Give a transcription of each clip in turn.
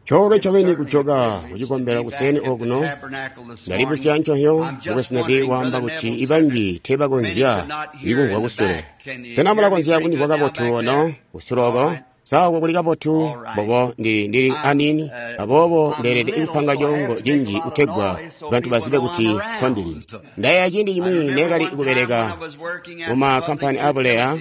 Coolwe ncobeni kujoka kucikombelo kuseeni okuno. Ndalibusya nconhyo mukwesu Neville waamba kuti ibanji teebakonzya ikumvwa kusule. Sena mulakonzya kundimvwa kabotu ono kusule oko? Sa oko kuli kabotu? Mbobo ndili aniini, aboobo ndeelede kupanga coongo cinji kutegwa bantu bazibe kuti nkondili. Ndayeeya ciindi cimwi neekali kubeleka mumakkampani aabuleya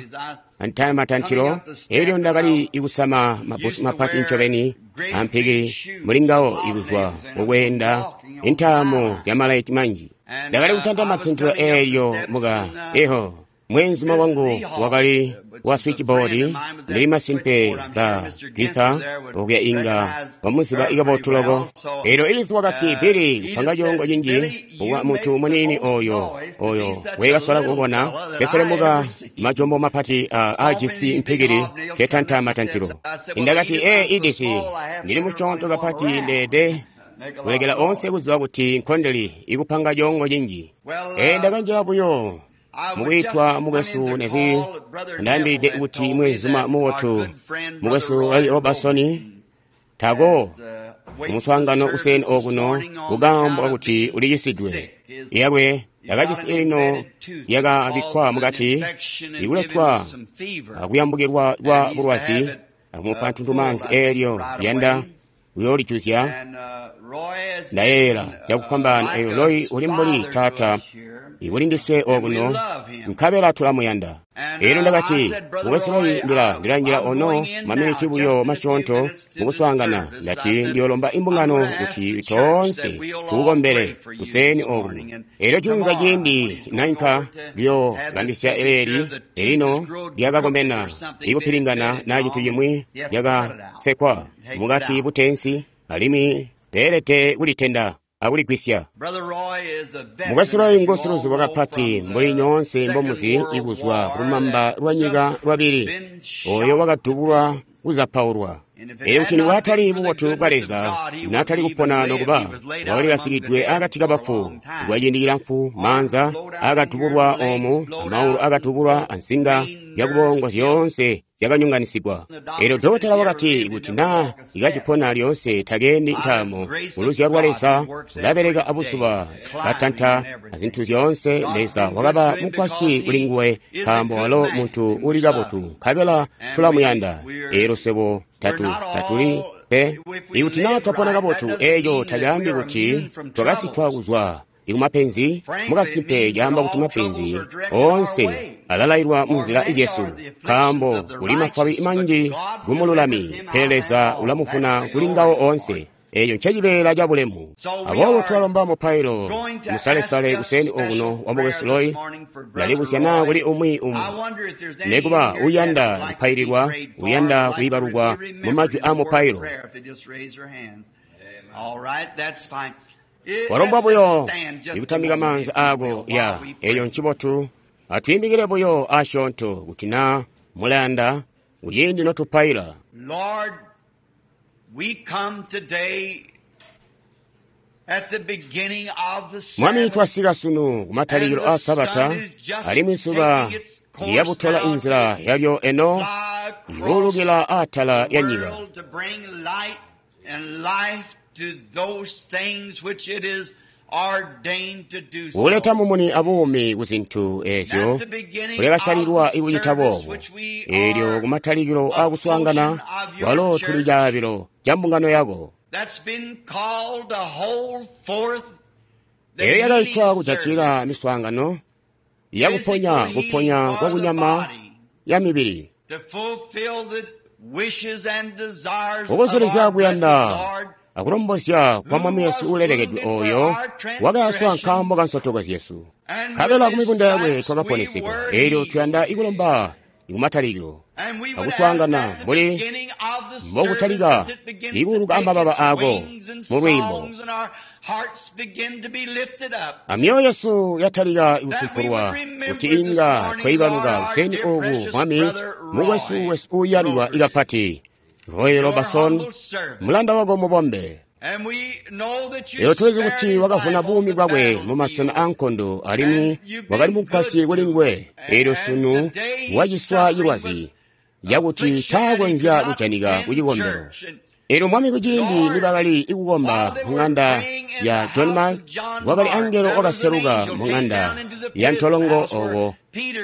matantilo, elyo ndakali kusama mabbusu mapati ncobeni ampikili muli ngawo ikuzwa mukweenda intaamo zyamalaiti manji. Ndakali kutanta matantilo eelyo muka eho mweenzuma wangu wakali wa switchboard. Ndili masimpe ba Githa okuya inga bamuziba kabotu loko. Elyo Edith wakati, Billy, kupanga coongo cinji kuba muntu muniini oyo wekasola kubona keselemuka majombo mapati aajisi mpikili ketanta matantilo. Ndakati, Edith, ndili musyoonto kapati ndeede kulekela onse kuziba kuti nkondeli ikupanga coongo cinji. Ndakanjila buyo mukwiitwa mukwesu Neville ndaambilide kuti mweenzuma mubotu mukwesu Roy Robertson tako kumuswaangano kuseeni okuno kukaambo kakuti ulicisidwe. Yakwe yakacisi elino yakabikkwa mukati ikuletwa akuyambukilwa kwa bulwazi akumupa ntuntumaanzi eelyo liyanda kuyoolijuzya. Ndayeeyela cakufwambaana eyo Roy uli mbuli taata ikuli ndiswe okuno, nkabela tulamuyanda. Elyo ndakati, mukwesu Roy, ndilanjila ono maminiti buyo masyoonto mukuswaangana. Ndati ndiyoolomba imbungano kuti toonse tuukombele kuseeni okuno. Elyo junza ciindi nainka kuyoobambisya eleeli elino lyakakomena ikupilingana na cintu cimwi lyakasekwa mukati buteensi, alimwi beelede kulitenda akuligwisya. Mukwesu Roy ngusiluzubo kapati mbuli nyoonse mbomuzi ikuzwa kulumamba lwa nyika lwabili, oyo wakadubulwa kuzapaulwa. Elyo kuti nikwatali bubotu bwa Leza, naatali kupona nokuba wakali akati kabafu kwaciindi cilamfu. Maanza akadubulwa oomu, amaulu akadubulwa, ansinga zyakubongo zyoonse zyakanyonganisigwa. Elyo dokotela wakati kuti naa ikacipona lyoonse takeendi ntaamo. Kuluzyalo lwa Leza ulabeleka abuzuba, katanta azintu zyoonse. Leza wakaba mukwasyi kuli nguwe nkaambo walo muntu uli kabotu, nkabela tulamuyanda. Elyo swebo tatuli pe. Ikuti naa twapona kabotu, eeco tacaambi kuti twakasitwa kuzwa ikumapenzi. Mukasimpe caamba kuti mapenzi oonse alalailwa munzila zyesu, nkaambo kuli mafwabi manji kumululami, pele Leza ulamuvuna kuli ngawo oonse. Eeco ncecibeela cabulemu. Aboobo tulalomba mupailo musalesale kuseeni okuno wa mukwesu Roy. Ndalibusya naa kuli umwi nekuba uyanda kupaililwa, uyanda kuibalukwa mu majwi a mupailo. Walombwa buyo ikutambika maanza aako ya eyo ncibotu. Atwiimikile buyo asyoonto kuti naa mulayanda kuciindi notupaila. Lord, we come today at the beginning of the Mwami, Sabbath, twasika sunu kumatalikilo a Sabata, alimwi zuba liyabutola inzila yalyo eno fly across ikuulukila atala the ya nyika, world to bring light and life to those things which it is ordained to do so. kuleta mumuni abuumi ku zintu eezyo At the beginning kulekasalilwa of the ikucita service boobo. which we Eelyo are kumatalikilo a akuswaangana portion of your walo tuli church caabilo ca mbungano yako, that's been called to hold forth the eyo yakaitwa healing kujatila service, miswaangano yakuponya physical kuponya healing kwa for the kunyama body, ya mibili, to fulfill the wishes and desires of kukozolezya our blessed kuyanda Lord, akulombozya kwa Mwami Yesu ulelekedwe oyo wakayaswa nkaambo ka nsotoko zyesu, and nkabela with ku his mibunda yakwe stripes we twakaponesedwa. were Eelyo healed. tuyanda ikulomba ikumatalikilo And we would ask akuswaangana at the mbuli beginning of the service mbokutalika as it begins to ikuuluka take amababa its ako wings and mu lwiimbo, songs and our hearts begin to be lifted up, amyoyo yesu yatalika that we would ikusumpulwa remember kuti this inga morning, Lord, twaibaluka our kuseeni dear oku precious Mwami brother mukwesu Roy wesu uuyandwa Robertson, ikapati Roy your Robertson, humble servant. mulanda wako mubombe. And we know that you Lero tulizi spared kuti his wakavuna life on buumi the bwakwe mu masena battlefield, ankondo alimwi and you've wakali been mukwasyi good kuli to nguwe. him. Elyo And sunu today he's waciswa suffering with cilwazi cakuti taakonzya kujanika kucikombelo. Elyo Mwami kuciindi nibakali kukomba mung'anda ya John Mark, kwakali angelo wakaseluka mung'anda ya ntolongo oko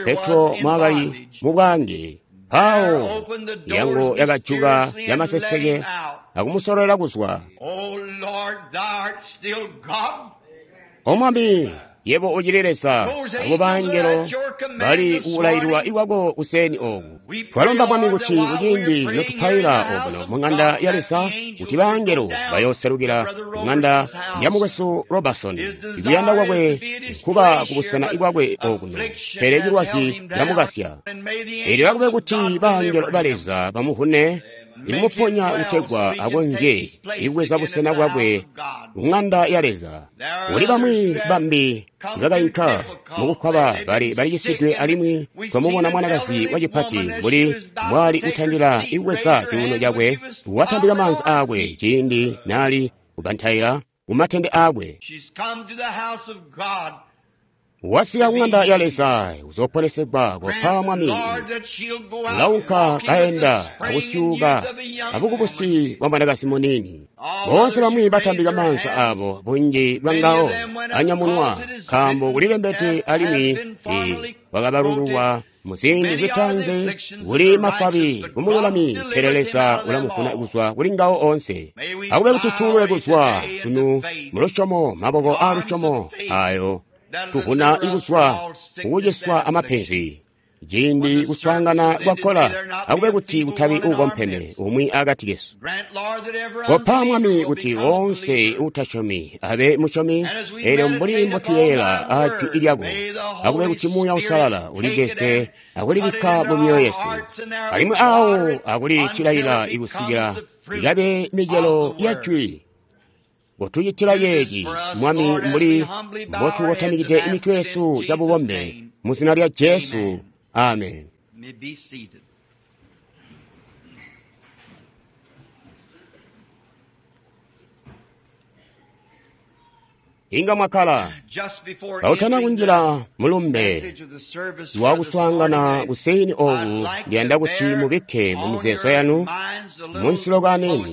Petro mwakali mubwaange. Mpawo milyango yakajuka yamaseseke akumusololela kuzwa. O Mwami, yebo ucili Leza, abo bangelo bali kukulaililwa ikwako kuseni oku. Twalomba Mwami kuti kuciindi notupaila okuno mung'anda ya Leza, kuti bangelo bayooselukila mung'anda ya mukwesu Robertson. Ikuyanda kwakwe nkuba kubusena ikwakwe okuno, pele cilwazi camukasya. Elyo akube kuti bangelo ba Leza bamuhune ikumuponya kutegwa akonzye ikubweza busena bwakwe mung'anda ya Leza. Kuli bamwi bambi ibakainka mukukwaba bali cisidwe alimwi twamubona mwanakazi wacipati mbuli mbwali kutandila ikubweza cuuno cakwe, watambika maanza aakwe ciindi nali kubantaila kumatende aakwe. Wasika kung'anda ya Leza kuzoponesegwa kopa Mwami. Ulaunka kaenda akusyuuka abukubusi bwa mwanakazi muniini. Boonse bamwi batambika maanza abo, bunji bwa ngawo anyamunwa, nkaambo kulilembedwe alimwi wakabalululwa muziindi zitanze kuli mafabi kumululami, pele Leza ulamuvuna kuzwa kuli ngawo onse. Akube kuti tulwe kuzwa sunu mulusyomo, maboko aalusyomo ayo tuvuna ikuzwa kukuciswa amapenzi. Ciindi kuswaangana kwakola, akube kuti kutabi uukompeme umwi akati kesu. Kopa Mwami kuti woonse uutasyomi abe musyomi, elyo mbuli mbotuyeeyela ajwi lyako, akube kuti Muuya Uusalala ulicese akulibikka mu myoyo yesu, alimwi awo akulitilaila ikusikila ikabe micelo ya jwi. Kotucitila yeeci, Mwami, mbuli mbotukotamikide imitwe yesu cabubombe mu zina lya Jesu. Amen. Inga mwakkala. Kautana kunjila mulumbe wakuswaangana kuseni oku, ndiyanda kuti mubikke mu mizeezo yanu munsilokani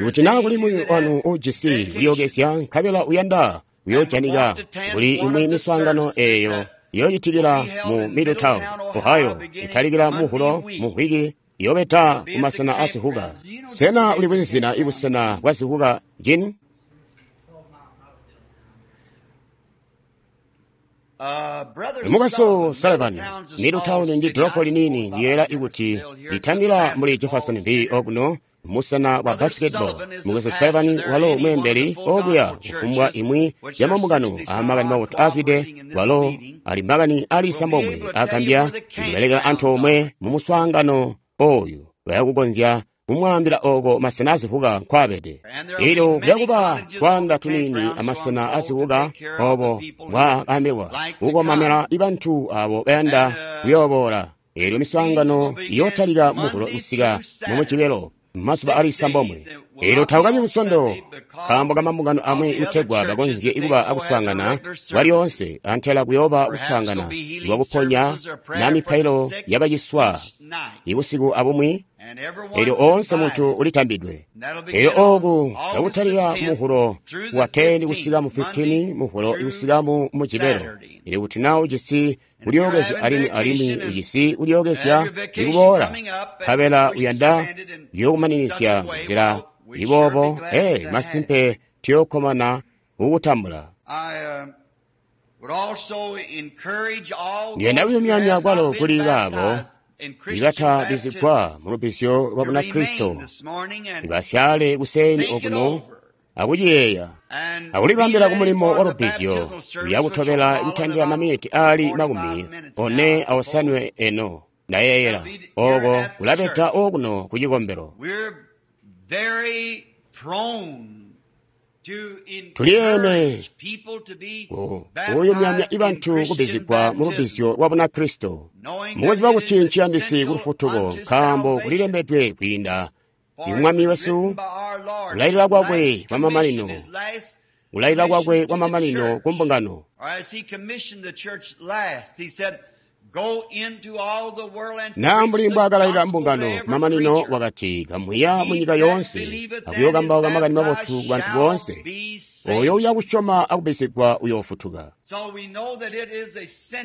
kuti naa kuli muyi wanu uujisi kulyookezya nkabela uyanda kuyoojanika kuli imwi miswaangano eeyo iyoocitikila mu Middletown, Ohio, kutalikila muhulo mumvwiki iyobeta kumasena a zihuka. Sena uli bwizina ibusena bwa zihuka jini? Mukwesu Sullivan, Middletown ndi dolopo linini ndiyera ikuti litandila muli Jefferson V okuno musena wa basketball. Mukwesu Sullivan walo mweembeli okuya kufumbwa imwi ya mambungano amakani mabotu azwide, walo ali makani ali sambomwe akambya ndibelekela antoomwe mu muswaangano oyu bayakukonzya kumwaambila oko masena azivuka nkwabede. Elyo kuyakuba twaanda tuniini amasena azivuka obo bwakaambilwa kukomamela ibantu abo bayanda kuyooboola. Elyo miswaangano iyootalika muhulo kusika mu Mujibelo mazuba ali sambomwe. Elyo tawukabi musondo nkaambo kamambungano amwi kutegwa bakonzye kuba akuswaangana kwalyoonse, antela kuyooba kuswaangana lwakuponya na mipailo yabaciswa ibusiku abumwi. Elyo oonse muntu ulitambidwe. Elyo oku kakutalika muhulo wa 10 kusika mu 15, muhulo kusika mu Mujibelo. Elyo kuti naa ujisi kulyookezya alimwi alimwi ujisi kulyookezya ikuboola, nkabela uyanda kuyokumaninizya nzila iboobo, masimpe tuyookkomana kukutambula. Ndiyanda kuyumyanya kwalo kuli baabo ibatabizigwa mu lubbizyo lwa Bunakristo, ibasyale kuseni okuno akuciyeeya akulibambila kumulimo wa lubbizyo luyakutobela kutandila maminiti ali 45 eno ndayeeyela oko kulabeta okuno ku cikombelo. Tuliyeme kuyumyamya ibantu kubbizigwa mu lubbizyo lwa Bunakristo, mukuziba kuti nciyandisi ku lufutuko, nkaambo kulilembedwe kwiinda Mwami wesu kulailila kwakwe kwamamanino, kulailila kwakwe kwamamanino ku mbungano. Naa mbuli mbwaakalailila mbungano kumamanino wakati, kamuya munyika yoonse akuyookambauka makani mabotu kubantu boonse. Oyo uya kusyoma akubbizigwa uyoofutuka.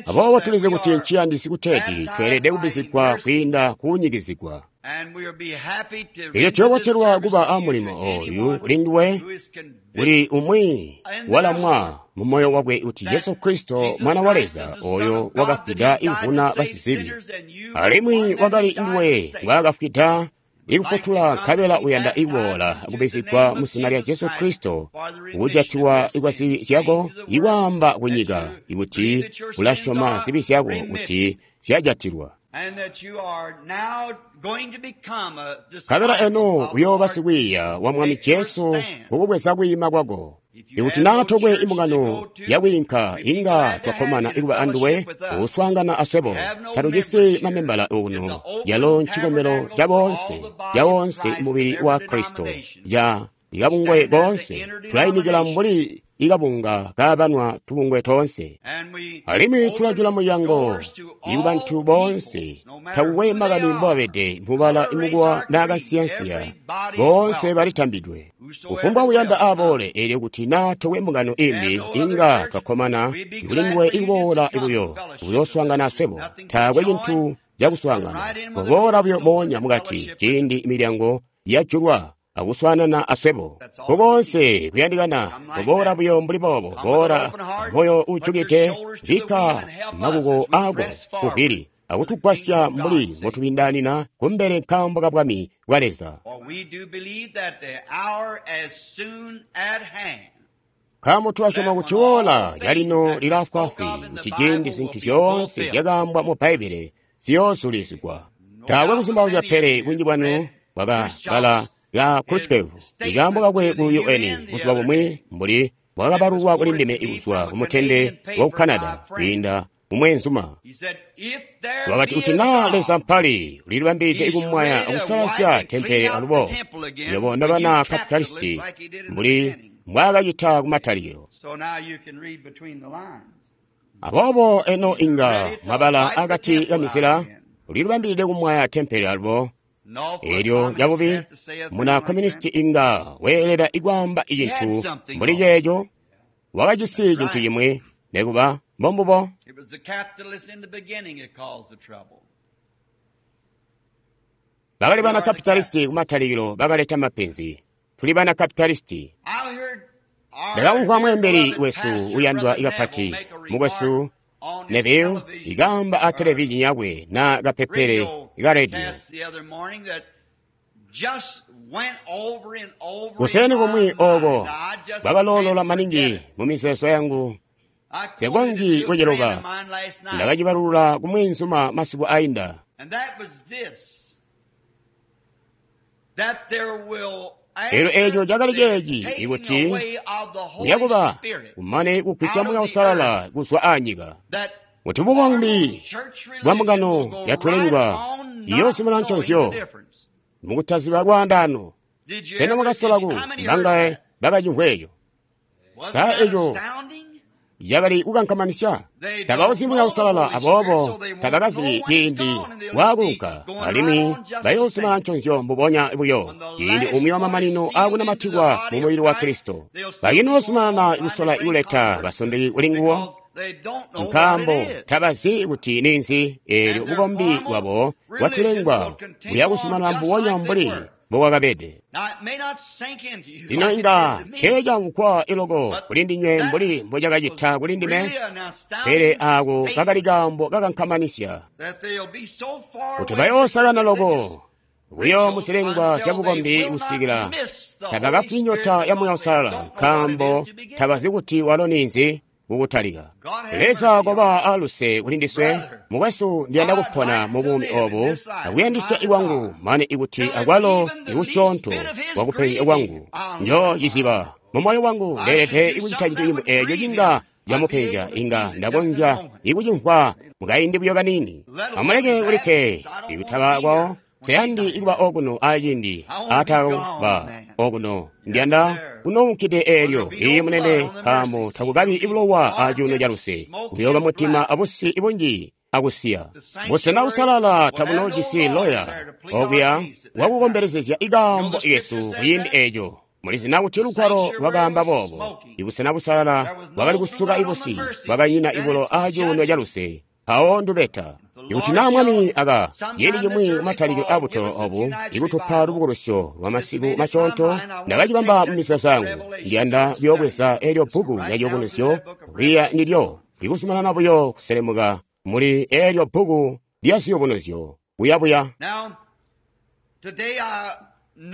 Aboobo tulizi kuti nciyandisi kuteeti tweelede kubbizigwa kwiinda kuunyikizigwa. Elyo tuyoobotelwa kuba amulimo ooyu kulinduwe kuli umwi walamwa mumoyo wakwe kuti Jesu Kristo Mwana wa Leza oyo wakafwida ikuvuna basizibi, alimwi wakali nduwe ngwaakafwida ikufutula, nkabela uyanda ikuboola akubbizigwa mu zina lya Jesu Kristo kujatiwa kwa zibi zyako, ikwaamba kunyika ikuti ulasyoma zibi zyako kuti zyajatilwa. Nkabela eno uyooba sikwiiya wa Mwami Jesu kukubweza kwiima kwako. Ikuti naa tokwe imbungano yakwiinka, inga twakkomana ikuba anduwe kuswaangana aswebo. Tatujisi mamembala okuno, yalo ncikombelo ca boonse, ca woonse mubili wa Kristo, ca ikabungwe koonse. Tulayimikila mbuli ikabunga kaabanwa tubungwe toonse, alimwi tulajula mulyango ikubantu boonse, takukwe makani mbobabede, mubala imukuwa naa kansiyansiya, boonse balitambidwe. Kufumbwa uyanda aboole, eelyo kuti naa tokwe mbungano imbi, inga twakkomana kulinduwe ikuboola buyo kuyooswaangana aswebo. Taakwe cintu cakuswaangana, kuboola buyo moonya mukati ciindi milyango yajulwa akuswaanana aswebo. Kukoonse kuyandikana kuboola buyo mbuli boobo, boola moyo uujukide, bikka makuko aako kuvili akutugwasya mbuli mbotubindaanina kumbele nkaambo ka Bwami bwa Leza. Nkaambo tulasyoma kuti woola lyalino lilaafwaafwi, kuti ciindi zintu zyoonse zyakaambwa mu Bbaibbele ziyoozulizigwa. Taakwe kuzumbauzya pele bunji bwanu bwakabala ya Khrushchev ikaambo kakwe ku UN buzuba bumwi mbuli bwakabalulwa kuli ndime kuzwa kumutende wa ku Canada kwiinda mumweenzuma. Wakati kuti naa Leza mpali ulilibambilide ikumwaya akusalazya tempele alubo nywebo nobana kapitalisti mbuli mbwaakacita kumatalikilo. Aboobo eno inga mwabala akati kamizila, ulilibambilide kumwaya tempele alubo. Eelyo lyabubi muna communisti inga weelela ikwaamba icintu mbuli ceeco, wakajisi cintu cimwi nekuba mbombubo. Bakali bana kapitalisti kumatalikilo bakaleta mapenzi. Tuli bana kapitalisti. Ndakamvwa mweembeli wesu uyandwa ikapati mukwesu Neville ikaamba a televizhini yakwe na kapepele ka radio. Kuseni kumwi oko bwakaloolola maningi mu mizeezo yangu, nsikonzyi kuciluba. Ndakacibalulula kumweenzuma masiku ainda. Elyo eeco cakali ceeci ikuti kuyakuba kumane kugwisya Muuya Uusalala kuzwa aanyika, kuti bukombi bwa mbungano yatulengwa iyoozumina nconzyo mukutaziba lwaandaano. Sena mwakasola ku bangaye bakacimvwa eco? Sa eco yakali kukankamanisya? Tabauzyi Muuya Uusalala, aboobo tabakazibi ciindi waakuunka, alimwi bayoozumina nconzyo mbubonya buyo ciindi umwi wamamanino aakunamatikwa mu mubili wa Kristo. Bakinoozumanana kusola kuleta basondeki kuli nguwo, nkaambo tabazi kuti ninzi. Eelyo bukombi bwabo bwatulengwa buyakuzumanana mbubonya mbuli mbobwakabede. Lino inga teecamvwa iloko kuli ndinywe mbuli mbocakacita kuli ndime, pele aako kakali kaambo kakankamanisya kuti bayoosakana loko buyo muzilengwa zyabukombi kusikila tabakafwi nyota ya Muuya Uusalala, nkaambo tabazi kuti walo ninzi kukutalika. Leza koba aluse kuli ndiswe. Mukwesu, ndiyanda kupona mu buumi obu akuyandisya ikwangu, mane ikuti akwalo ikusyoonto kwakupenzya kwangu njoociziba mu moyo wangu. Ndeelede ikucita cintu cimwi eeco cinga camupenzya, inga ndakonzya ikucimvwa mukaindi buyo kaniini. Amuleke kulikke ikutaba kwawo. Nseyandi ikuba okuno aciindi aatakuba okuno. Ndiyanda kunounkide eelyo iyi munene, nkaambo takukabi ibulowa acuuno caluse. Kuyooba mutima abusi bunji akusiya. Busena busalala tabunoojisi loya okuya wakukombelezezya ikaambo kesu kuciindi eeco. Mulizi kuti lugwalo lwakaamba boobo. Ibusena busalala bwakali kusuka ibusi, bwakanyina ibulo acuuno caluse. Mpawo ndubeta. Ikuti naa Mwami aka ciindi cimwi kumatalikilo abutolo obu ikutupa lubukulusyo lwa masiku masyoonto, ndakacibamba mumizeezo yangu. Ndiyanda kuyoobweza eelyo bbuku lya Ciyubunuzyo kwiiya ndilyo, ikuzumanana buyo kuselemuka muli eelyo bbuku lya Ziyubunuzyo kuyabuya.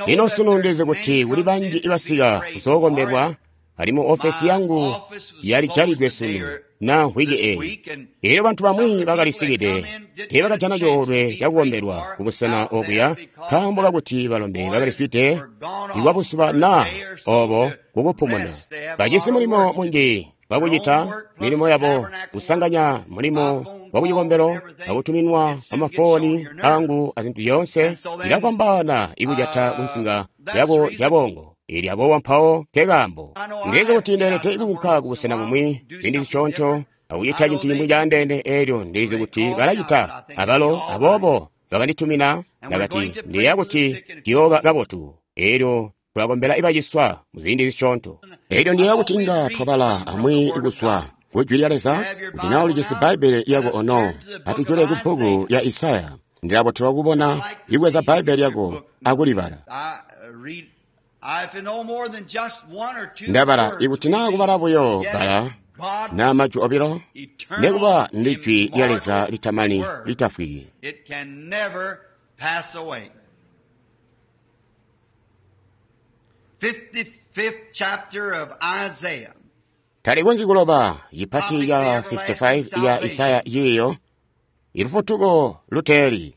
Lino sunu ndizi kuti kuli banji ibasika kuzookombelwa, alimwi ofesi yangu yalijalidwe sunu na mvwiki eeyi. Eelyo bantu bamwi bakalisikide teebakajana coolwe cakukombelwa kubusena okuya nkaambo kakuti balombe bakaliswide ikwabuzuba naa obo kukupumuna. Bajisi mulimo munji wakucita milimo yabo, kusanganya mulimo wakucikombelo akutuminwa amafoni angu azintu zyoonse, cilafwambaana ikujata kunsinga yabo cabongo. Eelyo aboobo mpawo nkekaambo. Ndizi kuti ndeelede kuunka kubusena bumwi ziindi zisyoonto akucita cintu cimwi caandeene, eelyo ndilizi kuti balacita abalo, aboobo bakanditumina ndakati ndiyeeya kuti ciyooba kabotu. Eelyo tulakombela ibaciswa muziindi zisyoonto. Eelyo ndiyeeya kuti inga twabala amwi kuzwa ku Jwi lya Leza. Kuti naa ulijisi Bbaibbele lyako ono, atujule ku bbuku lya Isaya. Ndilabotelwa kubona ibweza Bbaibbele lyako akulibala. Ndabala ikuti naa kubala buyo bbala naa majwi obilo, nekuba ndi Jwi lya Leza litamani litafwiki. Talikonzyi kuloba. Cipati ca 55 ya Isaya ciiyo ilufutuko luteeli.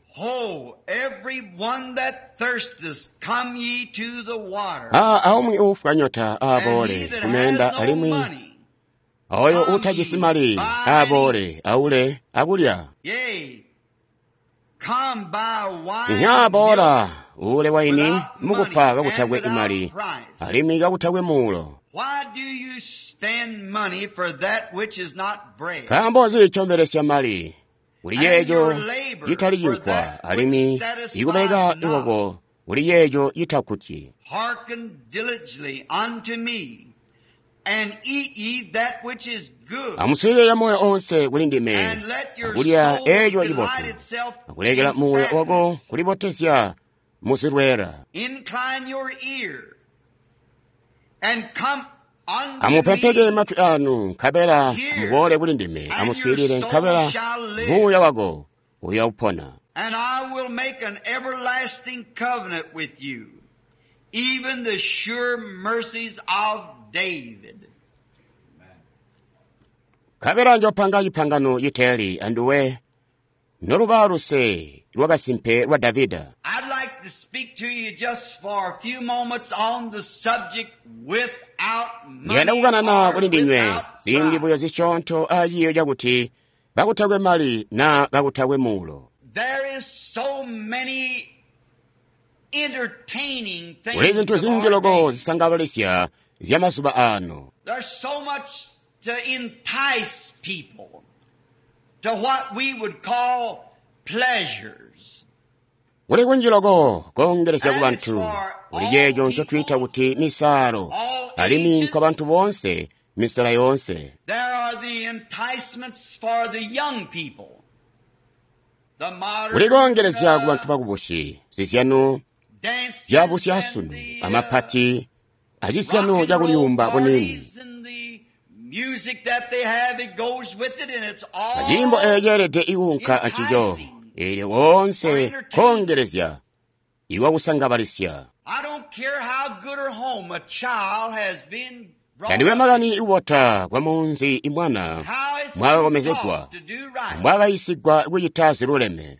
Aumwi uufwa nyota aaboole kumeenda, alimwi oyo uutajisi mali aaboole aule akulya. Nyaaboola uule waini mukupa kakutakwe imali alimwi kakutakwe muulo. Nkaambo nzi ncombelesya mali kuli yeeco citali cinkwa, alimwi ikubeleka ikoko kuli yeeco citakkutyi? Amuswiilile camoyo onse kuli ndime, akulya eeco cibotu, akulekela muuya wako kulibotezya muzilweela. Amupempeke matwi anu, nkabela muboole kuli ndime. Amuswiilile, nkabela muuya wako uyaupona. Nkabela njopanga cipangano citeeli anduwe, noluba luse lwakasimpe lwa Davida. Ndiyanda kukanana kuli ndinywe ziindi buyo zisyoonto aciiyo cakuti kakutakwe mali naa kakutakwe muulo. Kuli zintu zinji loko zisangabalisya zyamazuba aano. Kuli kunji loko koongelezya ku bantu kuli ceeco ncotwiita kuti misaalo, alimwi nkwa bantu boonse, misela yoonse. Kuli koongelezya ku bantu bakubusi, zizyano zyabusyasunu, amapati, acizyano cakulyuumba buniini. Aciimbo eeco ceelede ikuunka ancico, eelyo koonse koongelezya ikwakusangabalisya. Tandikwe makani kubota kwa munzi imwana mwakakomezegwa, mbwakayisigwa kucita ziluleme.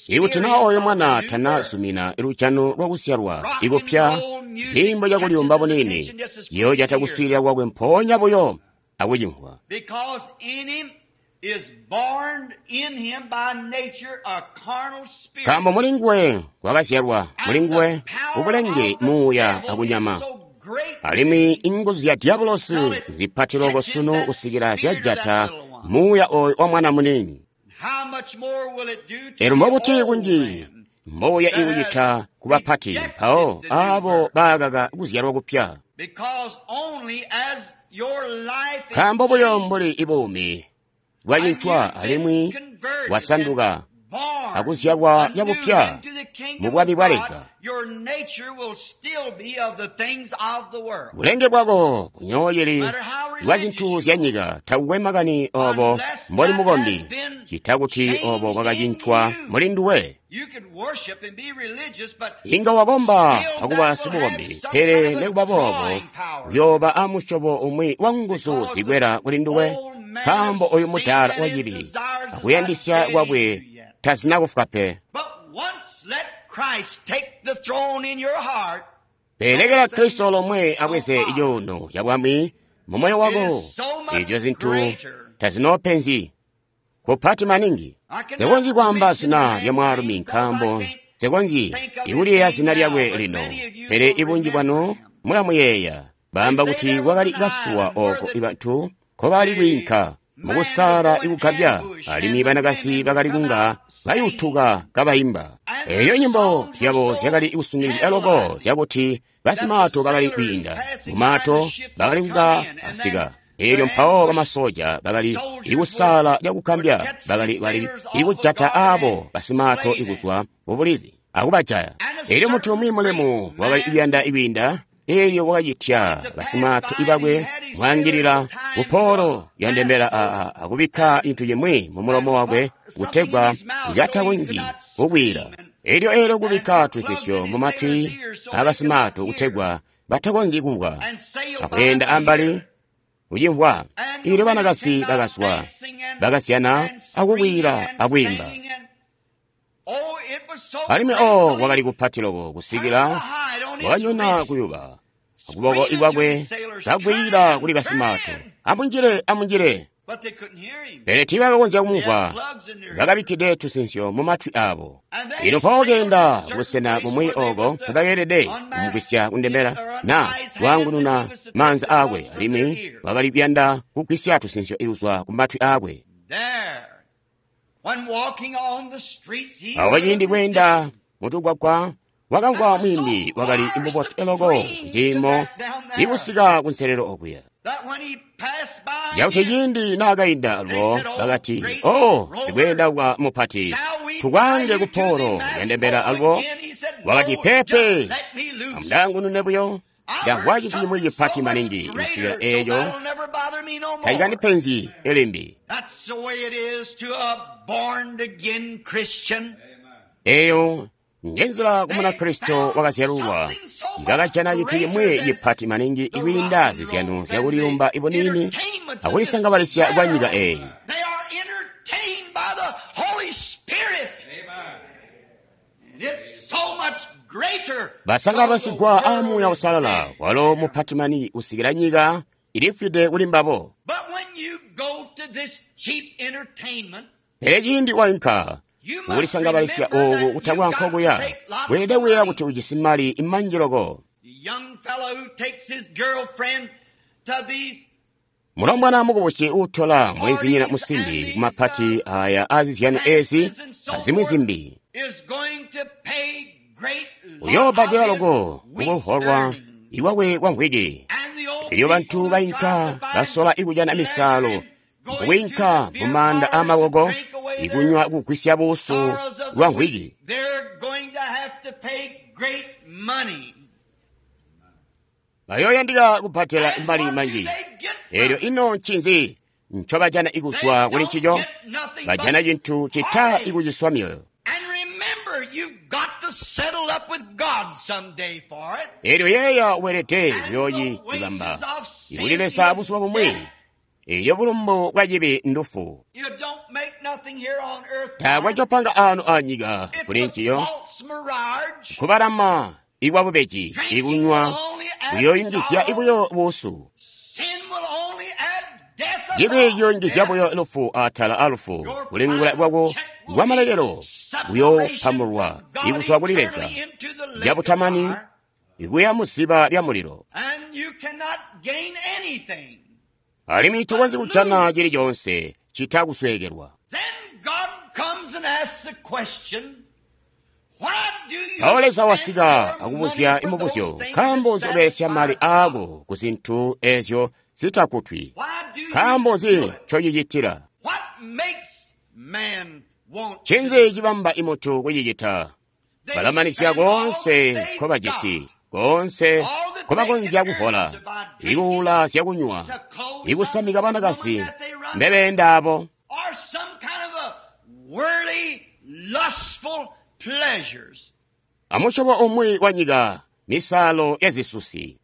Ikuti naa oyo mwana tanazumina lujano lwakuzyalwa ikupya, ciimbo cakulyuumba buniini ciyoojata kuswiilila kwakwe mpoonya buyo akucimvwa. Nkaambo mulinguwe kwakazyalwa mulinguwe ubulenge muuya akunyama, alimwi inguzu zya Diabolosi nzipati loko sunu kusikila zyajata Muuya oyo wa mwana muniini. Elyo mbobuti kunji mbuya ikucita ku bapati mpawo abo baakaka kuzyalwa kupya. Nkaambo buyo mbuli ibuumi bwacincwa alimwi bwasanduka akuzyalwa cabupya mu bwami bwa Leza, bulenge bwako bunyoocili bwa zintu zya nyika takukwe makani obo mboli mukombi, cita kuti obo bwakacincwa muli nduwe. Inga wakomba akuba sibukombi, pele nikuba boobo uyooba amusyobo umwi wa nguzu zikwela kuli nduwe, nkaambo oyu mudaala wacibi akuyandisya kwakwe tazina kufwa pe. Pele lekela Kristo lomwe abweze cuuno ca bwami mu moyo wako, ezyo zintu tazinoopenzi kupati maningi. Nsekonzyi kwaamba zina lya mwaalumi nkaambo nsekonzyi ikuliyeeya zina lyakwe lino, pele ibunji bwanu mulamuyeeya. Baamba kuti kwakali kasuwa oko ibantu nkobali kwiinka mukusaala ikugabya, alimwi banakazi bakali kunga bayutuka kabayimba. Eyo nyimbo zyabo zyakali kusungilizya loko cakuti basimaato bakali kwiinda mumaato bakali kunga asika. Elyo mpawo bamasoja bakali ikusaala cakugambya bakali bali ikujata abo basimaato ikuzwa mubulizi akubajaya. Elyo muntu umwi mulemu wakali kuyanda ikwiinda, elyo wakacitya basimaato ibakwe kwaangilila kupoolo yandembela akubikka cintu cimwi mu mulomo wakwe kutegwa katakonzyi kukwiila. Elyo elyo kubikka tusisyo mu matwi abasimaato kutegwa batakonzyi kumvwa, akweenda ambali kucimvwa. Elyo banakazi bakazwa bakasyana akukwiila akwiimba. Alimwi o wakali kupati loko kusikila wakanyona kuyuba akuboko ikwakwe kakwiila kuli basimaato, amunjile, amunjile. Pele tiibakakonzya kumumvwa, bakabikkide tusinsyo mu matwi abo. Lino mpawo keenda kubusena bumwi oko nkobakeelede kumugwisya kundembela na kwaangununa maanza aakwe, alimwi wakali kuyanda kugwisya tusinsyo kuzwa ku matwi aakwe. Awo ciindi kweenda mutugwagwa wakamvwa mwiimbi wakali mubotu loko kuciimo ikusika kunselelo okuya. Cakuti ciindi naakainda alubo bakati, "O sikweenda kwa mupati, tukwaange kupoolo yandembela alubo." Wakati, "Peepe, amundaangunune buyo. Ndamvwa cintu cimwi cipati maningi kusikila eeco tacikandipenzi limbi." Eeyo njenzila ku Munakristo wakazyalulwa ngakajana cintu cimwi cipati maningi kwiinda zizyano zyakuliyumba ibuniini akulisangabalisya kwa nyika eeyi. Basangabalisigwa aa Muuya Uusalala, walo mupati maningi kusikila nyika ilifwide kuli mbabo. Pele ciindi wainka kukulisangabalisya ooku kutakwa nkokuya, weelede kuyeeya kuti ujisi mali manji loko. Mulombwana mukubusi uutola mweenzinyina musimbi kumapati aya aazizyano eezi azimwi zimbi uyoobbadela loko kukuholwa iwakwe kwa mvwiki. Elyo bantu bainka basola ikujana misaalo mukwiinka mumaanda aamaboko ikunywa kugwisya buusu bwa mvwiki. Bayooyandika kubbadela mali manji. Elyo ino ncinzi ncobajana ikuzwa kuli ncico? Bajana cintu cita ikuciswa myoyo. Elyo yeeya weelede kuyoocibamba ikuli Leza buzuba bumwi. Elyo bulumbu bwa cibi ndufu. Taakwe copanga aano anyika kuli nciyo. Kubalama ikwabubeji ikunywa kuyooyungizya buyo buusu. Cibi ciyungizya buyo lufu atala alufu. Kulingula kwako kwamalekelo kuyoopamulwa ikuzwa kuli Leza cabutamani ikuya muziba lya mulilo. Alimwi tokonzyi kujana cili coonse cita kusweekelwa. Mpawo Leza wasika akubuzya imubuzyo, nkaambo nzi ubelesya mali aako ku zintu ezyo zitakutwi? Nkaambo nzi ncocicitila? Ncinzi cibamba imuntu kucicita? Balamanizya koonse nkobajisi, koonse nkobakonzya kuhola, ikuula zyakunywa, ikusamika banakazi mbebeenda abo, amusyobo umwi wa nyika, misaalo ya zisusi.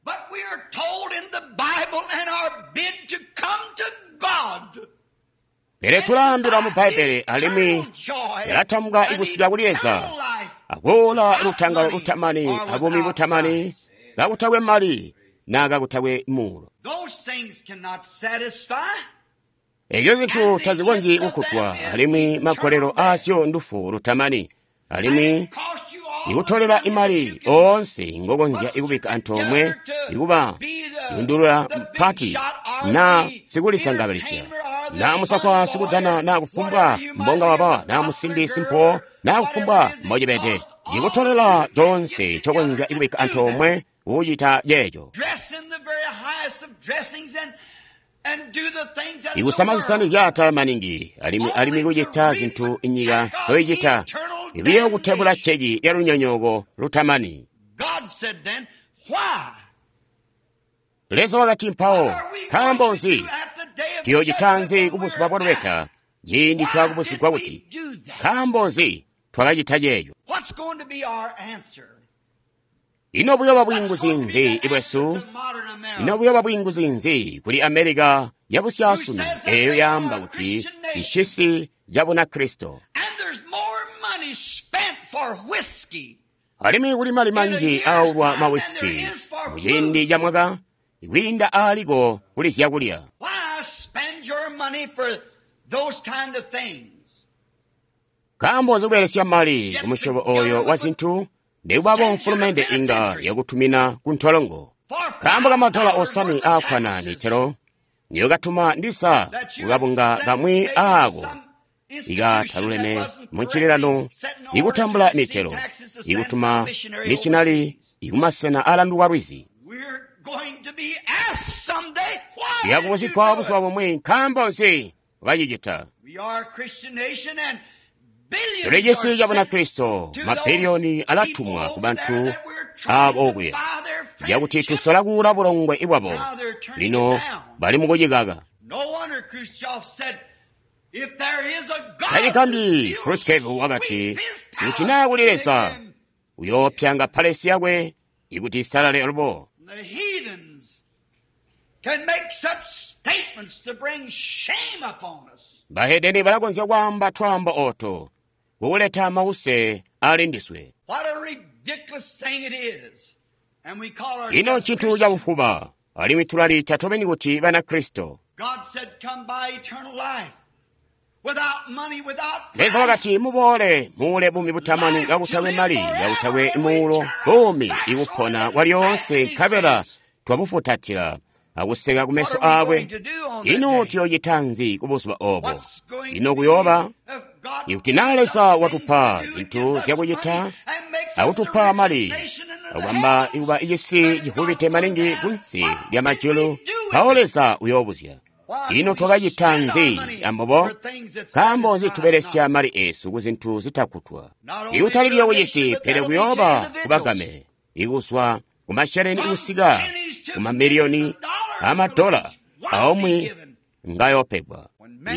Pele tulaambilwa mu Bbaibbele alimwi yalatambuka ikusika kuli Leza akuula lutangalo lutamani abuumi butamani kakutakwe mali naa kakutakwe muulo. Ezyo zintu tazikonzyi kukkutwa alimwi magolelo aazyo ndufu lutamani alimwi ikutolela imali oonse ngokonzya ikubikka antoomwe ikuba yundulula mpati naa sikulisangabalisya naa musakwa sikudana naa kufumbwa mbonga waba naa musimbi simpo naa kufumbwa mbocibede ikutolela coonse ncokonzya ikubikka antoomwe kucita ceeco ikusama zisani zyaatala maningi alimwi kucita zintu inyika zoyicita ibiyo kutebula ceki ya lunyonyooko lutamani. Leza wakati mpawo, nkaambo nzi tuyoocita nzi kubuzuba bwa lubeta ciindi twakubuzigwa kuti nkaambo nzi twakacita ceeco? Ino buyoba bwiinguzi nzi ibwesu? Ino buyoba bwiinguzi nzi kuli Amerika yabusyaasunu eeyo yaamba kuti ncisi ca Bunakristo? Alimwi kuli mali manji aaulwa mawisiki muciindi ca mwaka kwiinda aaliko kuli zyakulya. Nkaambo nzi kubelesya mali kumusyobo ooyo wa zintu? Nekubabo mfulumende inga yakutumina kuntolongo nkaambo kamadola osanwe aakkwana mitelo niyokatuma ndisa kukabunga kamwi aako ikataluleme muncililano ikutambula mitelo ikutuma mishinali ikumasena aalanduka lwizi. Yakubuzigwa buzuba bumwi nkaambo nzi wakacicita? Tuli cisi ca Bunakristo, mabiliyoni alatumwa ku bantu aabo okuya yakuti tusola kuula bulongwe bwabo, lino bali mukucikaka. Tacigambi Khrushchev wakati, kuti naa kuli Leza uyoopyanga palesi yakwe ikuti isalale alubo. Bahedeni balakonzya kwaamba twaambo ooto kukuleta mause ali ndiswe. Ino ncintu cabufuba alimwi tulaliita tobeni kuti Banakristo. Leza wakati, muboole muule buumi butamani kakutakwe mali kakutakwe muulo, buumi ikupona kwalyoonse nkabela twabufutatila akuseka kumeso aakwe. Ino tuyoocita nzi kubuzuba oobo? Ino kuyooba ikuti naa Leza watupa zintu zyakucita akutupa mali akubamba ikuba icisi civubide maningi kunsi lya majulu, mpawo Leza uyoobuzya, ino twakacita nzi ambobo? Nkaambo nzi tubelesya mali eesu ku zintu zitakkutwa? Ikutali buyo kucisi, pele kuyooba kubagame, ikuzwa kumasheleni kusika kumamiliyoni amadola aomwe ngayoopegwa.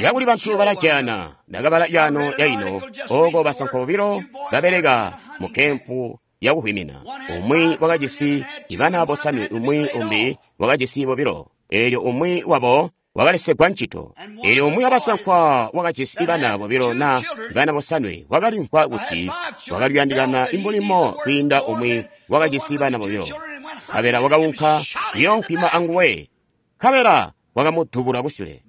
Kakuli bantu balajana ndakabala yano yaino ooko basankwa bobilo babeleka mu kempu yakuhwimina. Umwi wakajisi bana bosanwe, umwi umbi wakajisi bobilo. Eelyo umwi wabo wakalesegwa ncito. Eelyo umwi wabasankwa wakajisi bana bobilo na bana bosanwe wakalimvwa kuti wakali kuyandikana imulimo kwiinda umwi wakajisi bana bobilo. Nkabela wakaunka kuyoonkwima anguwe, nkabela wakamudubula kusyule.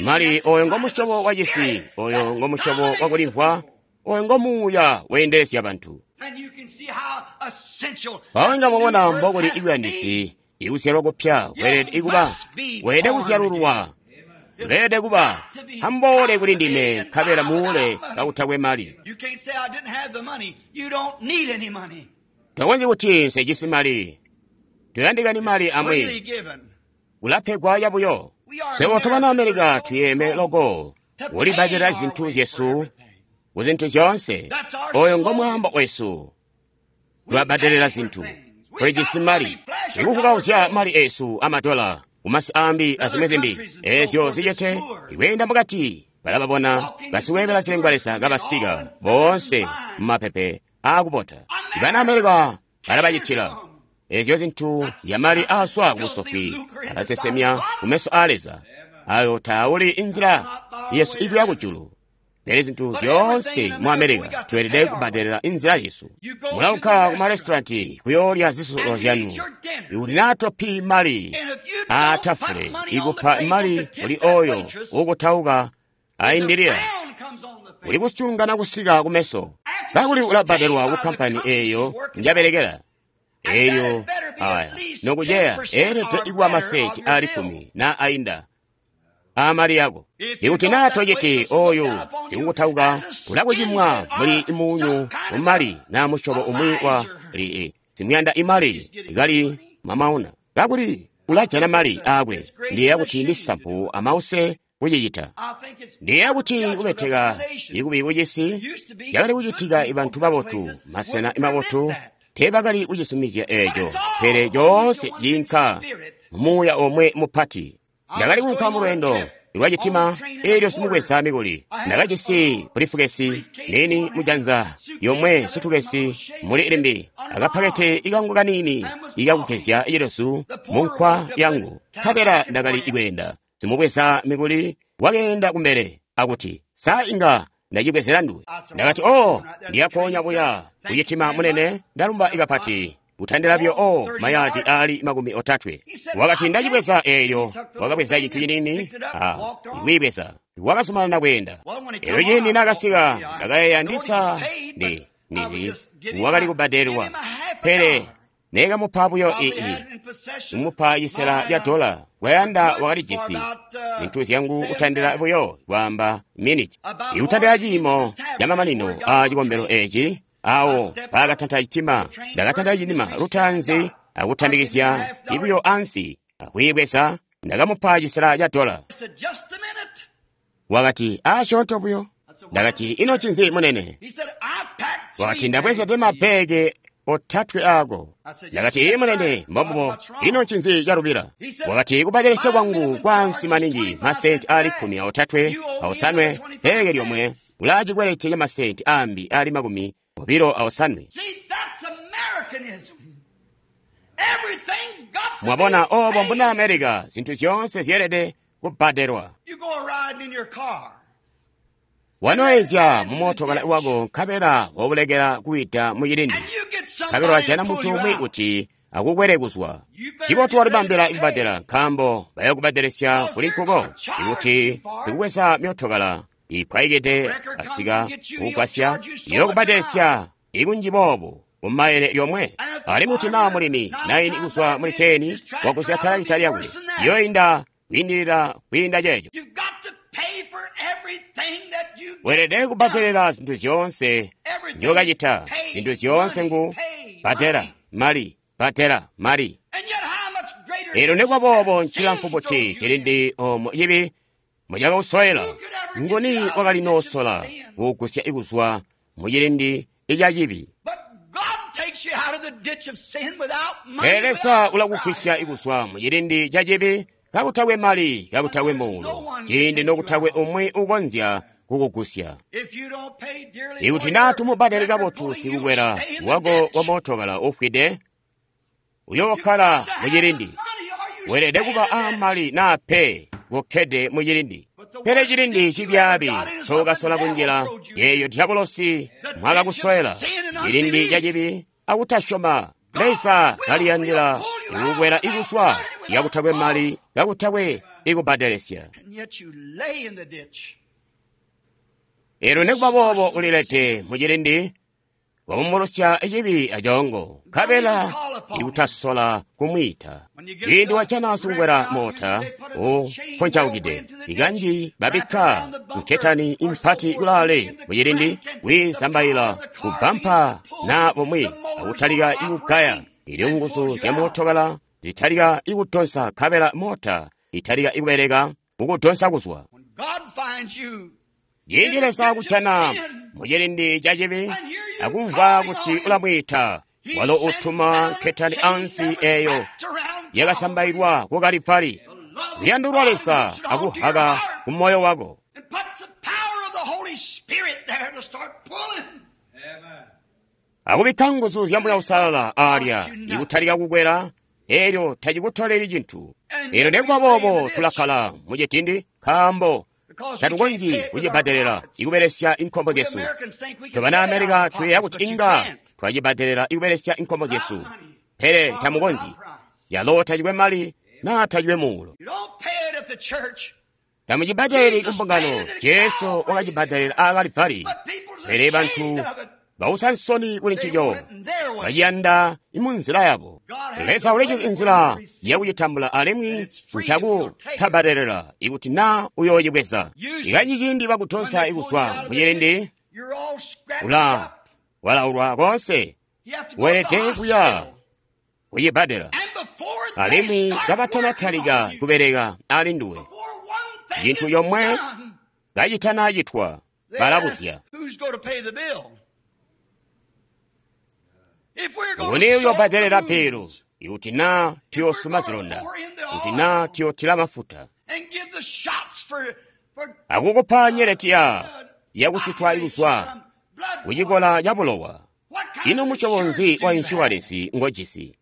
Mali oyo ngomusyobo wa cisi, oyo ngomusyobo wakulimvwa, oyo ngomuuya weendelezya bantu. Mpawo inga mwabona mbokuli ibuyandisi Ikuzyalwa kupya kweelede kuba, weelede kuzyalululwa, weelede kuba amboole kuli ndime nkabela muule kakutakwe mali. Tokonzyi kuti nsejisi mali, toyandikani mali amwi, kulapegwa yabuyo. Swebo tobana Amerika tuyeeme loko kulibbadelela zintu zyesu ku zintu zyoonse. Oyo ngo mwaambo wesu, tulabbadelela zintu. Tulijisi mali, ikuvukauzya mali esu amadola kumasi ambi azimwi zimbi ezyo zicete ikweenda mukati balababona basiweebela zilengwa-leza kabasika boonse mumapepe aakubota. Ibana Amerika balabacitila ezyo zintu zyamali aaswa kubusofi, alasesemya kumeso aa Leza. Ayo tauli inzila yesu ikuya kujulu. Pele zintu zyoonse mu Amerika tweelede kubbadelela inzila yesu. Mulaunka ku marestauranti kuyoolya zisulo zyanu. Ikuti naa topi mali aatafule, ikupa mali kuli oyo uukutauka aindilila, uli kusyungana kusika kumeso. Kakuli ulabbadelwa ku kampani eeyo njabelekela. Eyo aya nokuceya eelede ikuba masenti aali 10 na ainda amali yako. Ikuti naa tociti oyo sikukutauka ulakucimwa muli munyu mumali na musyobo umwi wa li simuyanda imali ikali mamauna, kakuli ulajana mali aakwe. Ndiyeeya kuti ndi sampu amause kucicita. Ndiyeeya kuti kubeteka ikubi kucisi cakali kucitika ibantu babotu masena mabotu teebakali kucisumizya eeco, pele coonse ciinka mumuuya omwe mupati. Ndakali kuunka mulweendo lwacitima eelyo simubweza mikuli. Ndakajisi bulifukesi niini mujanza yomwe, sutukesi muli limbi, akapakete ikangu kaniini ikakugezya cilezu munkwa yangu. Nkabela ndakali kweenda. Simubweza mikuli wakeenda kumbele akuti, “Sa inga ndacibwezela nduwe?” Ndakati, “Oh, ndiyapoonya buya kucitima munene, ndalumba ikapati. Kutandilabyo o mayaadi aali 30. Wakati, “Ndacibweza eeyo.” Wakabweza cintu ciniini ikwiibweza, wakazumanana kweenda. Elyo ciindi naakasika, ndakayeeya ndisa ndi wakali kubbadelwa, pele neekamupa buyo kumupa cisela ca dola. Kwayanda wakalijisi zintu zyangu kutandila buyo kwaamba miniti ikutandila ciimo camamanino aa cikombelo eeci. Awo paakatanta citima, ndakatanta citima lutaanzi akutambikizya ibuyo ansi akwiibweza. Ndakamupa cisela ca dola. Wakati, “Asyoonto buyo.” Ndakati, “Ino ncinzi munene?” Wakati, “Ndabwezede mabbeeke 3 aako.” Ndakati, “Ii munene, mbombubo. Ino ncinzi calubila?” Wakati, “Kubbadelesya kwangu kwaansi maningi masenti aali 35 bbeeke lyomwe ulaa cikwelete ca masenti aambi aali 25. Mwabona obo mbuna Amerika, zintu zyoonse zyeelede kubbadelwa. Wanoezya mumootokala wako nkabela wobulekela kuwida mucilindi, nkabela wajana muntu umwi kuti akukwele kuzwa. Cibotu walibambila kubbadela, nkaambo bayokubbadelesya kuli nkuko. Ikuti sikubweza myootokala ipwayikide asika kukugwasya, iyokubbadelesya ikunji boobu kumayele lyomwe. Alimwi kuti naa mulimi 9 kuzwa muli 10 wagusya talakita lyakwe, iyoinda kwiindilila kwiinda ceeco. Weelede kubbadelela zintu zyoonse nzyokacita. Zintu zyoonse ngu bbadela mali, bbadela mali. Eelyo nikuba boobo ncilamfu buti cilindi oomo cibi mucakausowela? Nguni wakali noosola kuugusya kuzwa mucilindi ica cibi? Pele Leza ulakugwisya kuzwa mucilindi ca cibi kakutakwe mali, kakutakwe muulo, ciindi nokutakwe umwi ukonzya kukugusya. Ikuti naa tumubbadeli kabotu sikukwela wako wa mootokala ufwide, uyookkala mucilindi. Weelede kuba aamali naa pe kokkede mucilindi. Pele cilindi cibyaabi ncokasola kunjila, yeeyo dyabulosi mwakakusowela, cilindi ca cibi akutasyoma. Leza kaliyandila ikukwela ikuswa kakutakwe mali, kakutakwe ikubbadelesya. Eelyo nikuba boobo ulilede mucilindi, Waumbulusya cibi acongo, nkabela ikutasola kumwiita. Ciindi wajana sikukwela moota uponcaukide, ikanji babikka nketani impati kulaale mucilindi kwiizambaila kubampa na bumwi akutalika ikugaya. Ilyo nguzu zya mootokala zitalika ikutonsa nkabela moota italika ikubeleka kukutonsa kuzwa. Ciindi Leza kujana mucilindi ca cibi akumva kuti ulamwiita, walo utuma nketani ansi eyo yakasambailwa ku Kalivali. Luyando lwa Leza akuhaka ku moyo wako. Akubikka nguzu zya Muuya Uusalala aalya ikutalika kukwela, elyo tacikutoleli cintu. Elyo nekuba boobo tulakkala mucitindi nkaambo tatukonzyi kucibbadelela ikubelesya inkombo zyesu. Tobana Amerika tuyeeya kuti inga twacibbadelela ikubelesya inkombo zyesu, pele tamukonzyi. Yalo tacikwe mali naa tacikwe muulo. Tamucibbadeleli kumbungano. Jesu wakacibbadelela aa Kalivali, pele bantu bausa nsoni kuli ncico, baciyanda munzila yabo. Leza ulijisi inzila yakucitambula alimwi ncakutabbadelela ikuti naa uyoocibweza. Ikanji ciindi bakutonsa ikuzwa mucilindi, ula walaulwa koonse, weelede kuya kucibbadela. Alimwi kabatanatalika kubeleka ali nduwe, cintu comwe kacitanacitwa, balabuzya. Nguni uyobbadelela bilu ikuti naa tuyosuma zilonda, kuti naa tuyotila mafuta, akukupa nyeleti yakusutwa ikuzwa kucikola ca bulowa. Ino musyobo nzi wa inshuwalensi ngojisi?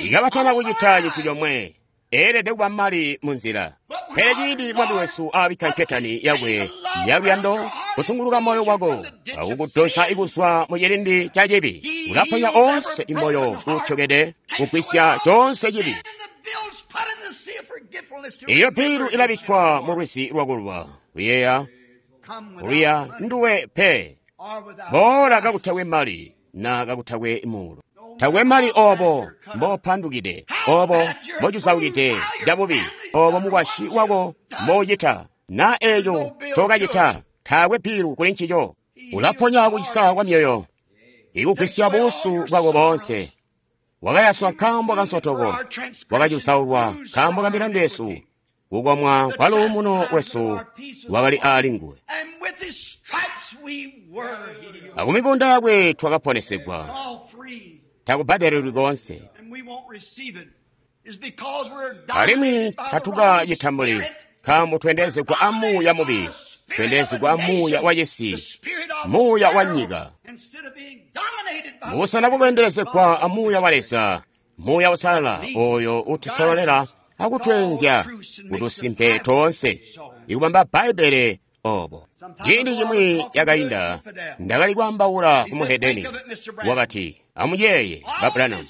Ikabatana kucita cintu comwe, eelede kuba mali munzila. Pele ciindi Mwami wesu aabikka nketani yakwe yaluyando kusunguluka moyo wako akukudonsa ikuzwa mucilindi ca cibi, ulaponya onse imoyo uutyokede, kugwisya conse cibi. Iyo bilu ilabikkwa mu lwizi lwakulwa kuyeeya kuliya nduwe pe. Boola kakutakwe mali na kakutakwe muulo. Takwe mali obo mbopandukide, obo mbocusaukide cabubi, obo mukwasyi wako mboucita, na eeco ncokacita, taakwe bilu kuli ncico. Ulaponya kucisa kwa myoyo, ikugwisya buusu bwako boonse. Wakayaswa nkaambo ka nsotoko, wakacusaulwa nkaambo ka milandu yesu, kukomwa kwa luumuno lwesu lwakali aali nguwe. Akumibunda yakwe twakaponesegwa, takubbadelelwi koonse. Alimwi tatukacitambuli nkaambo tweendelezegwa amuuya mubi, tweendelezegwa amuuya wa cisi, muuya wa nyika. Mubusena bwakweendelezegwa amuuya wa Leza, Muuya Uusalala oyo utusololela akutweenzya kutusimpe toonse, ikubamba Bbaibbele obo. Ciindi cimwi yakainda ndakali kwaambaula ku muhedeni, wakati, amuyeeye ba Branham,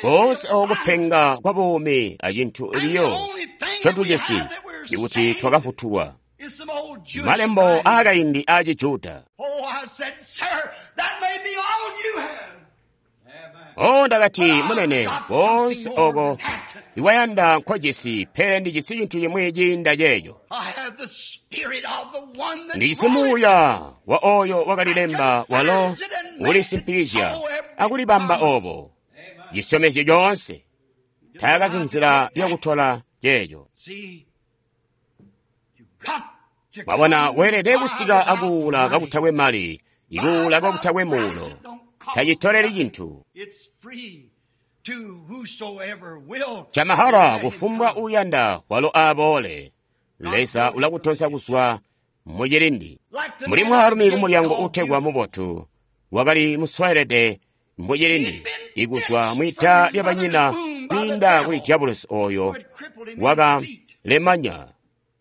koonse oko kupenga kwa buumi acintu biyo ncotujisi ikuti twakafutulwa. Malembo aakaindi aa Cijuda. O ndakati, munene, koonse oko iwayanda nkojisi, pele ndijisi cintu cimwi ciinda ceeco. Ndijisi muuya wa oyo wakalilemba walo ulisimpikizya akulibamba obo cisyomezyo coonse. Taakazi nzila yakutola ceeco. Mwabona, weelede kusika akuula kakutakwe mali, ikuula kakutakwe muulo. Tacitoleli cintu. Chamahara kufumbwa uyanda walo aboole. Leza ulakutonsa kuzwa mucilindi. Muli mwaalumi kumulyango uutegwa mubotu, wakali muswaelede mucilindi, ikuzwa mwita lyabanyina kwiinda kuli diabolosi oyo wakalemanya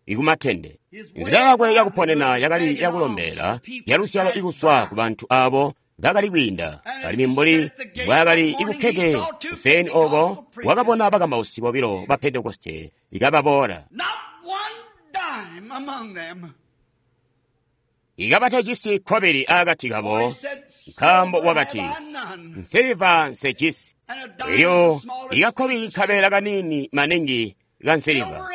ikumatende. Nzila yakwe yakuponena yakali yakulombela yaluzyalo ikuzwa ku bantu abo bakali kwiinda. Alimwi mbuli mbwaakali ikukkede kuseeni oko, wakabona bakamausi bobilo ba Pentekoste ikababoola. Ikabatajisi kkobili aakati kabo, nkaambo wakati, nsiliva nsejisi. Elyo ikakkobili kabeela kaniini maningi ka nsiliva.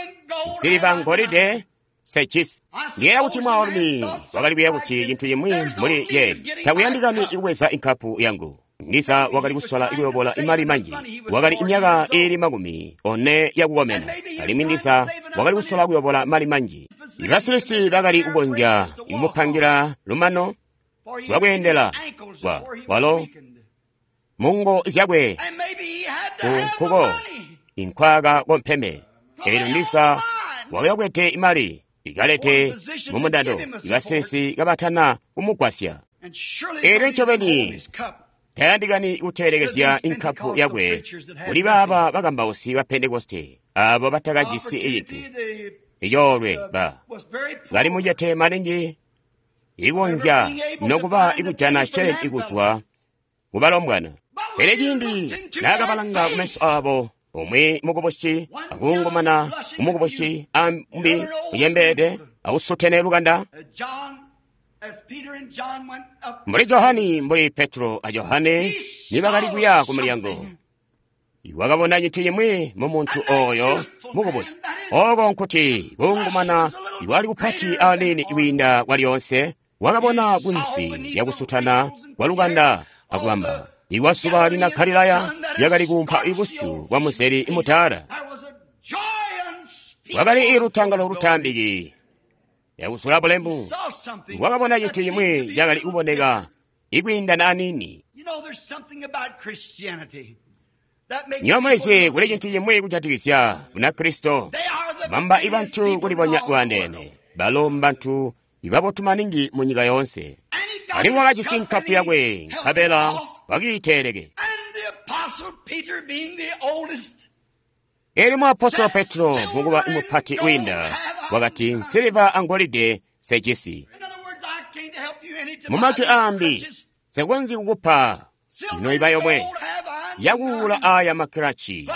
Nsiliva ngolide sejisi. Ndiyeeya kuti mwaalumi wakali kuyeeya kuti cintu cimwi mbuli ye takuyandikani kubweza inkapu yangu. Ndiza wakali kusola kuyobola imali manji. Wakali imyaka iili 40 yakukomena, alimwi ndiza wakali kusola kuyobola mali manji. Ibasilisi bakali kukonzya kumupangila lumano lwakweendela walo mungo zyakwe ku nkuko inkwaka kompeme. Elyo ndiza wakakwete imali ikalete mumundando ibasilisi kabatana kumugwasya. Elyo ncobeni tayandikani kuteelekezya inkapu yakwe kuli baaba bakambausi ba Pentekoste abo batakajisi cintu icoolwe ba bali mucete maningi ikonzya nokuba ikujana sheleni ikuzwa kubalombwana. Pele ciindi naakabalanga kumeso abo, umwi mukubusi akungumana umukubusi ambi ucembeede ausutene lukanda, mbuli Johani mbuli Petro a Johane nibakali kuya ku mulyango, wakabona cintu cimwi mu muntu oyo mukubusi. Oko nkuti kungumana iwali kupati aniini kwiinda kwalyoonse, wakabona kunsi lyakusutana kwa lukanda akubamba iwasuba lina Galilaya lyakali kuumpa ibusu bwa muzeli mutaala. Wakali ilutangalo lutambiki yakusula bulemu. Wakabona cintu cimwi cakali kuboneka ikwiindana aniini. Nyomulizi kuli cintu cimwi kujatikizya Bunakristo bamba ibantu kulibonya bwandeene. Balo mbantu ibabotu maningi mu nyika yoonse. Alimwi wakajisi nkapu yakwe nkabela wakiiteeleke. Elyo muapostolo Petro mukuba mupati wiinda wakati, nsiliva angolide sejisi. Mumajwi aambi, nsekonzyi kukupa noiba yomwe yakuula aya makilaci.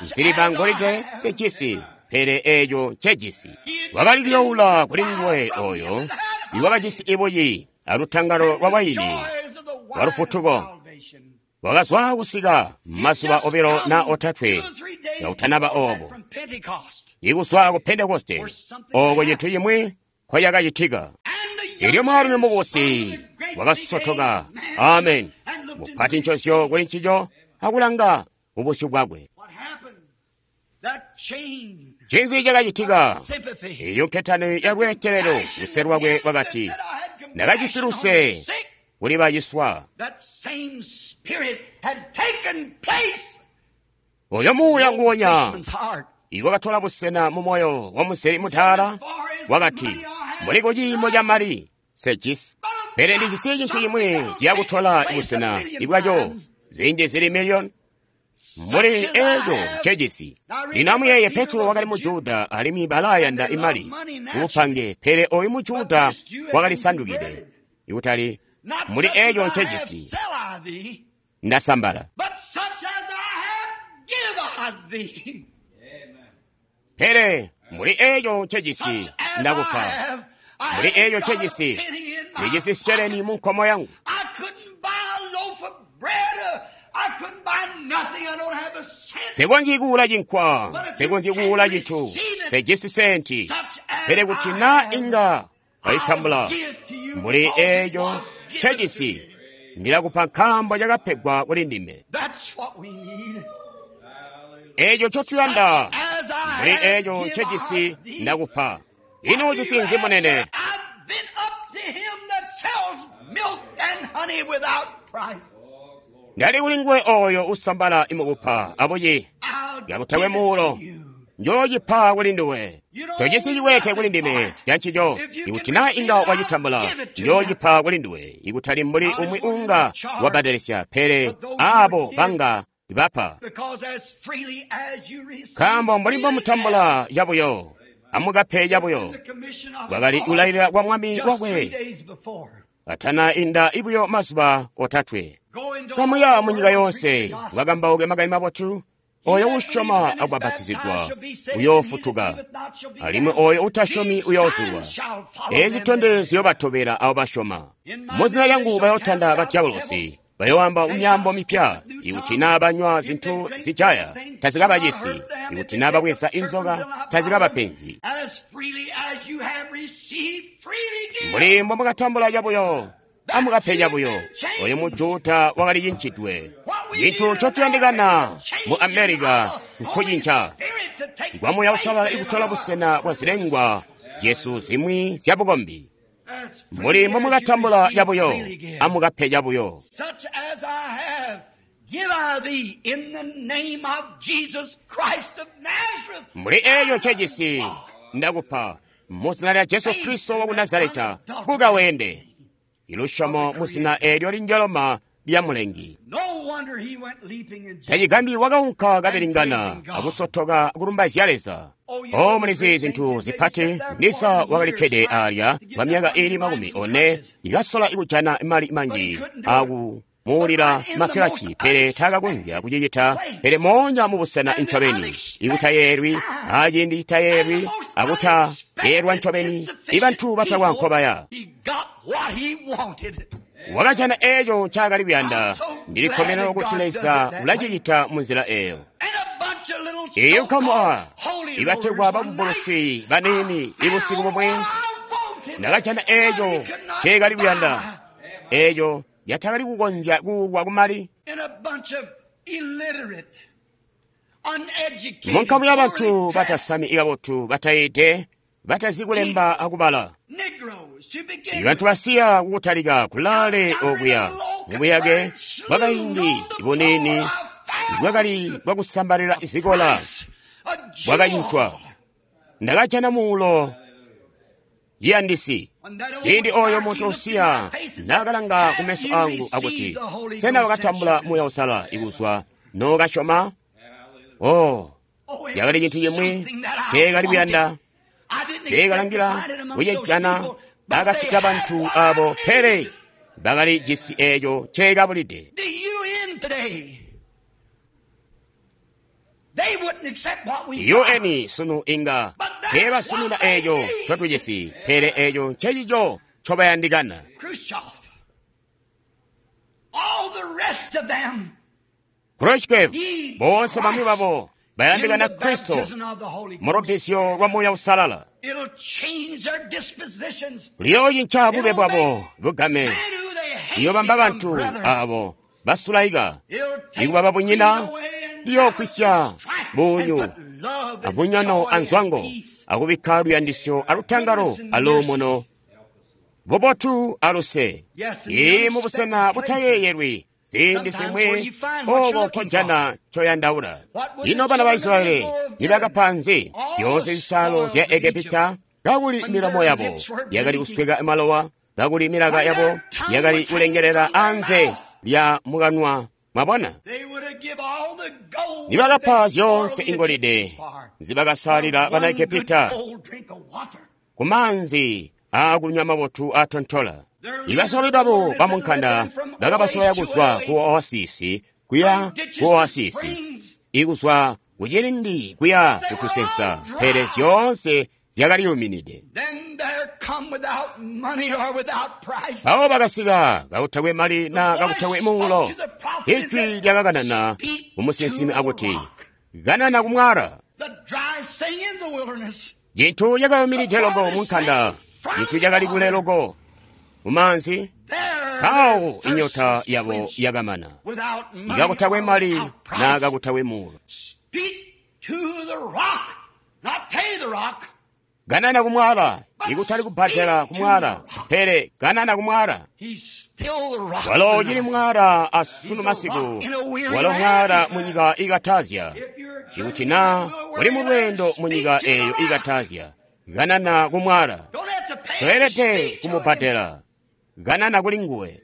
Nsiliva angolide sejisi, pele eeco ncejisi. Wakali kuyoula kuli nguwe oyo iwakajisi ibuyi alutangalo lwa waini lwa lufutuko. Wakazwa kusika mazuba 2 na 3 kautanaba obo, ikuzwa ku Pentekoste, oko cintu cimwi nkoyakacitika. Elyo mwaalumi mukubusi wakasotoka, amen, mupati ncozyo kuli ncico, akulanga ubusyu bwakwe. Ncinzi cakacitika? Eyo nketani ya lweetelelo, luse lwakwe lwakati, ndakajisi luse kuli baciswa. Oyo muuya nguwonya iwakatola busena mu moyo wa muzeli mutaala, wakati, mbuli kuciimo ca mali sejisi, pele ndijisi cintu cimwi ciyakutola busena ibwaco zinji zili miliyoni mbuli eeco ncejisi. Lino amuyeeye, Petro wakali Mujuda alimwi balayanda imali kubupange, pele oyu Mujuda wakali sandukide ikutali mbuli eeco ncejisi ndasambala, pele mbuli eeco ncejisi ndakupa, mbuli eeco ncejisi ndijisi sheleni mu nkomo yangu. Nsekonzyi kuula cinkwa, nsekonzyi kuula cintu, nsejisi senti, pele kuti na inga wayitambula mbuli eeco ncejisi ndilakupa nkaambo cakapegwa kuli ndime. Eeco ncotuyanda, mbuli eeco ncejisi ndakupa. Ino ujisi nzi munene? Ndali kuli nguwe oyo usambala imukupa abuci kakutakwe muulo, njoocipa kuli nduwe. Tojisi cikwelete kuli ndime cancico. Ikuti na inga wacitambula, njoocipa kuli nduwe, ikutali mbuli umwi unga wabbadelesya, pele abo banga bapa. Nkaambo mbuli mbomutambula cabuyo, amukape cabuyo. Kwakali kulailila kwa Mwami wakwe atana inda ibuyo mazuba 3. Kamuya munyika yoonse, mukakambauke makani mabotu. Oyo usyoma akubapatizigwa uyoofutuka, alimwi oyo utasyomi uyoozulwa. Eezi zitondezyo ziyobatobela abo basyoma. Muzina lyangu bayootanda badyabolosi, bayoamba myaambo mipya. Ikuti naa banywa zintu zijaya, tazikabacisi. Ikuti naa babweza inzoka, tazikabapenzi. Mbuli mbomwakatambula cabuyo, amukape cabuyo. Oyo Mujuda wakali cincidwe. Cintu ncotuyandikana mu America nkucinca kwa Muuya Uusalala ikutola busena bwa zilengwa zyesu zimwi zyabukombi. Mbuli mbomwakatambula cabuyo, amukape cabuyo. Mbuli eeco ncejisi ndakupa muzina lya Jesu Kristo waku Nazareta, buka weende. Ilusyomo muzina eelyo linjoloma lya Mulengi. Tacigambyi wakaunka kabilingana akusotoka kulumbaizya Leza. O mulizi zintu zipati, Lisa wakalikkede alya kwa myaka iili 40 ikasola kujana mali manji akumuulila makilaci, pele taakakonzya kucicita. Pele moonya mubusena ncobeni ikutayeelwi, aciindi citayeelwi, akutayeelwa ncobeni, ibantu batakwa nkobaya. Wakajana eeco ncaakali kuyanda. Ndilikkomene kuti Leza ulacicita munzila eeyo. Eeyo nkamu ibategwa babumbulusi baniini ibusiku bumwe ndakajana eeco nceekali kuyanda, eeco yatakali kukonzya kuulwa kumali. Munkamu yabantu batasami kabotu, batayiide, batazi kulemba akubala, ibantu basiya kukutalika kulaale okuya mubuyake bwakaindi buniini bwakali bwakusambalila zikola bwakacincwa. Ndakajana muulo ciyandisi. Ciindi oyo muntu usiya naakalanga kumeso angu akuti, sena wakatambula Muuya Uusalala ikuzwa nookasyoma? Oh, yakali cintu cimwi nceekali kuyanda, nceekalangila kucijana akati kabantu abo, pele bakali jisi eeco nceekabulide. UN sunu inga teebasumina eeco ncotujisi, pele eeco ncecico ncobayandikana. Khrushchev, boonse bamwi babo bayandikana Kristo mu lubbizyo lwa Muuya Uusalala. Luyoocinca bube bwabo bugame, liyoobamba bantu abo basulaika ikuba babunyina, liyoogwisya bunyu abunyono anzwango, akubikka luyandisyo alutangalo aluumuno, bubotu aluse. Ii mubusena butayeeyelwi ziindi zimwi obo nkojana ncoyandaula. Ino bana ba Israyeli nibakapa nzi zyoonse zisaalo zya Egepita, kakuli milomo yabo yakali kusweka malowa, kakuli milaka yabo yakali kulengelela anze lya mukanwa? Mwabona, nibakapa zyoonse ingolide nzibakasalila bana Egepita ku maanzi aakunywa mabotu aatontola. Ibasololi babo bamunkanda bakabasola kuzwa ku oasisi kuya ku oasisi, ikuzwa kucilindi kuya kutusensa, pele zyoonse zyakaliyuminide. Mpawo bakasika kakutakwe mali na kakutakwe muulo. Ijwi lyakakanana kumusinsimi akuti, kanana kumwala. Cintu cakayuminide loko munkanda, cintu cakali kule loko mumaanzi. Mpawo inyota yabo yakamana, ikakutakwe mali na kakutakwe muulo. Kanana kumwala, ikutali kubbadela kumwala, pele kanana kumwala. Walo ucili mwala asunu masiku, walo mwala munyika ikatazya. Ikuti naa uli mulweendo munyika eeyo ikatazya, kanana kumwala. Toelede kumubbadela, kanana kuli nguwe.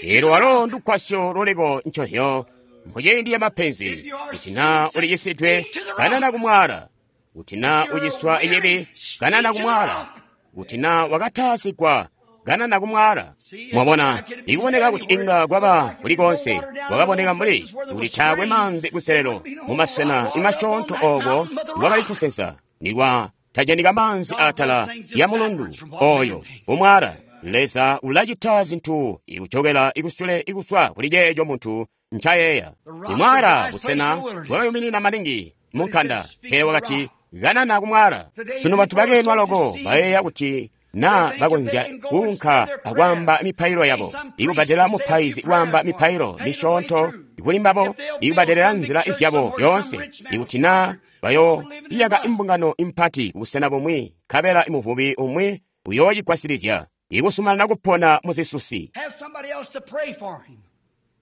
Elo walo ndugwasyo luliko ncohyo muciindi ya mapenzi. Kuti naa ulicisidwe, kanana kumwala. Kuti naa uciswa icibi, kanana kumwala. Kuti naa wakataazigwa, Kanana kumwala. Mwabona, ikuboneka kuti inga kwaba kulikonse, kwakaboneka mbuli kuti taakwe maanzi kuselelo mumasena imasyoonto ooko kwakali tusensa, nikwa tajanika maanzi atala ya mulundu oyo umwala. Leza ulacita zinthu ikuchokera ikusule ikuswa kuli ceeco munthu nchayeya. Imwala busena bwakayuminina maningi munkanda, pele wakati kanana kumwala. Sunu bantu bakenwa loko bayeeya kuti na bakonzya kuunka akwaamba mipailo yabo, ikubadela mupaizi kwaamba mipailo misyoonto kuli mbabo, ikubadelela nzila zyabo yoonse, ikuti na bayoiyaka imbungano impati kubusena bumwi, nkabela imuvubi umwi uyoocigwasilizya ikusumanana kupona muzisusi,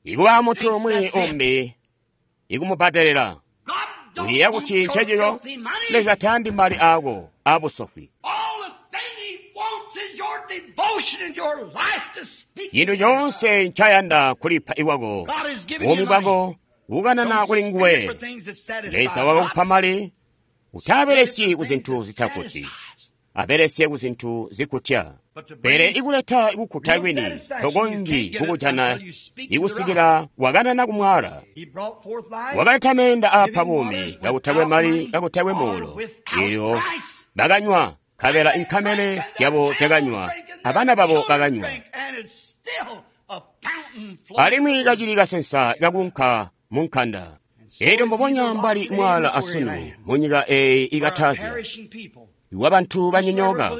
ikuba munthu umwi umbi ikumubadelela. Uyeeya kuti ncencico Leza tayandi mali ako abusofwi. Chinthu chonse nchayanda kulipa iwako, buumi bwako kukanana kuli nguwe. Leza wakakupa mali, utabelesyi ku zinthu zitakuti, abelesye ku zinthu zikutya. Pele ikuleta ikukhuta kwini tokonzyi kukujana ikusikila wakanana kumwala. Wakaleta meenda aapa buumi kakutakwe mali kakutakwe muulo, elyo bakanywa, nkabela inkamele zyabo zyakanywa, abana babo bakanywa. Alimwi kacili kasensa kakunka munkanda. Elyo mbubonya mbali mwala asunu munyika eeyi ikatazya, iwa bantu banyonyooka,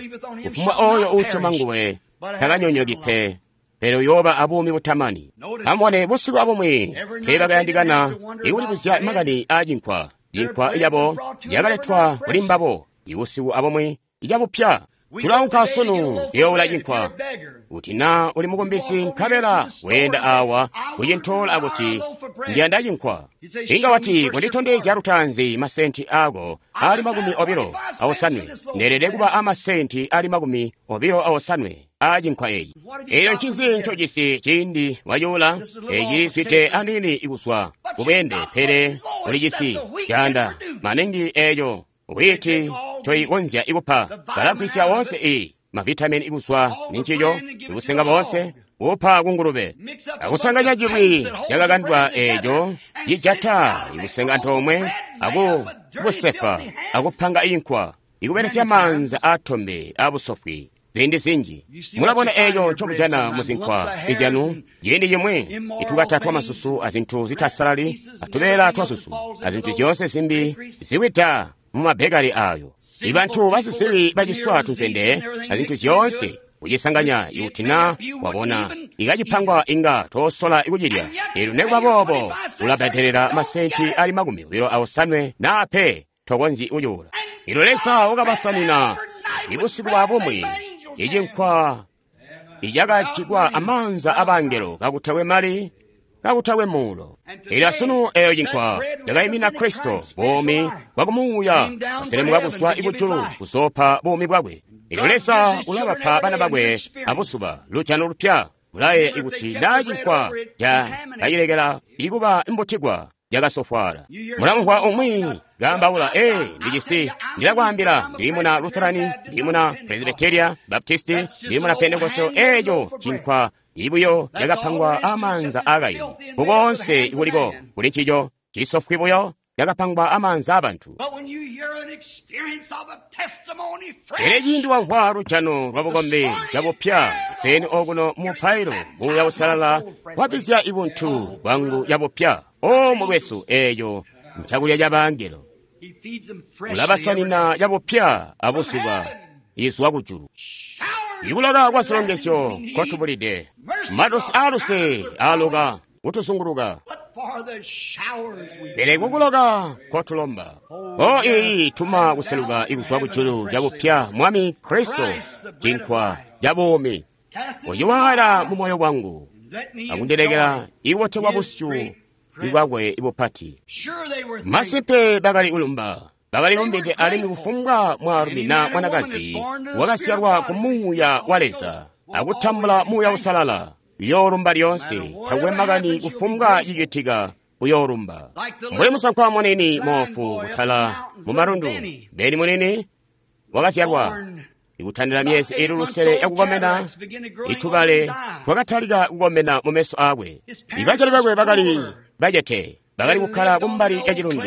kufumbwa oyo uusyoma nguwe takanyonyooki pe, pele uyooba abuumi butamani. Amubone busiku abumwi teebakayandikana ikulibuzya makani aacinkwa. Cinkwa cabo cakaletwa kuli mbabo ibusiku abumwi icabupya. Tulaunka sunu kuyoowula cinkwa. Kuti na uli mukumbisi nkabela weenda awa kucintola akuti ndiyanda cinkwa, inga wati kunditondezya lutaanzi masenti ako ali 28, ndeelede kuba amasenti ali 28 aa cinkwa eeci. Elyo ncinzi ncojisi ciindi wacuula? Eci zwide aniini ikuswa kubweende, pele ulijisi caanda maningi eeco whiiti ncoikonzya ikupa. Balagwisya woonse i mavitamini ikuswa nincico, ikusenga boonse kupa kungulube, akusanganya cilwi cakakandwa eeco cijata ikusenga antoomwe akubusefa akupanga inkwa ikubelesya maanza aatombe abusofwi. Ziindi zinji mulabona eeco ncomujana muzinkwa izyanu. Ciindi cimwi itukata twamasusu azinthu zitasalali, atubeela twasusu azinthu zyoonse zimbi ziwida mumabekali ayo. Ibantu basisibi baciswa tumpende azinthu zyoonse kucisanganya, ikuti na wabona ikacipangwa inga tosola ikucilya. Elyo nekuba boobo ulabadelela masenti ali 28 na pe tokonzyi kucuula. Elyo Leza wakabasanina ibusiku bwa bumwi icinkwa icakajikwa amaanza abangelo kakutakwe mali kakutakwe muulo. Elyo asunu eyo cinkwa cakayimina Kristo, buumi bwakumuuya kaselemuka kuzwa ikujulu kuzoopa buumi bwakwe. Elyo Leza ulabapa bana bakwe abusuba lujano lupya. Mulaye ikuti naa cinkwa cakacilekela ikuba imbutigwa cakasofwaala. Mulamvwa umwi kaambaula, ee, ndijisi, ndilakwaambila, ndili muna Lutherani, ndili muna Presbyteria, Baptisti, ndili muna Pentecostal. Eeco cinkwa ibuyo cakapangwa amaanza aakaini. Kukoonse kuliko kuli ncico cisofwi buyo cakapangwa amaanza abantu. Pele ciindi wamvwa lujano lwa bukombi cabupya kuseni okuno mupailo, Muuya Usalala wabizya ibuntu bwangu yabupya. O mukwesu, eeco ncakulya ca bangelo. Ulabasanina cabupya abuzuba izwa kujulu. Ikuloka kwa zilongezyo nkotubulide, matosi aaluse aaloka kutuzunguluka, pele kukuloka nkotulomba. O iyi tuma kuseluka ikuzwa kujulu cabupya, Mwami Kristo, cinkwa ca buumi. Uciwaala mu moyo wangu akundilekela ikubotelwa busyu bwakwe ibupati. Masimpe bakali kulumba, bakalilumbide alimwi kufumbwa mwaalumi na mwanakazi wakazyalwa ku Muuya wa Leza akutambula Muuya Usalala uyoolumba lyoonse, takwe makani kufumbwa cicitika uyoolumba. Mbuli musankwa munini moofu kutala mumalundu, Beni munini wakazyalwa Ikutandila myezi ili lusele yakukomena, itubale twakatalika kukomena mumeso aakwe. Ibazyali bakwe bakali bacete, bakali kukkala kumbali ya cilundu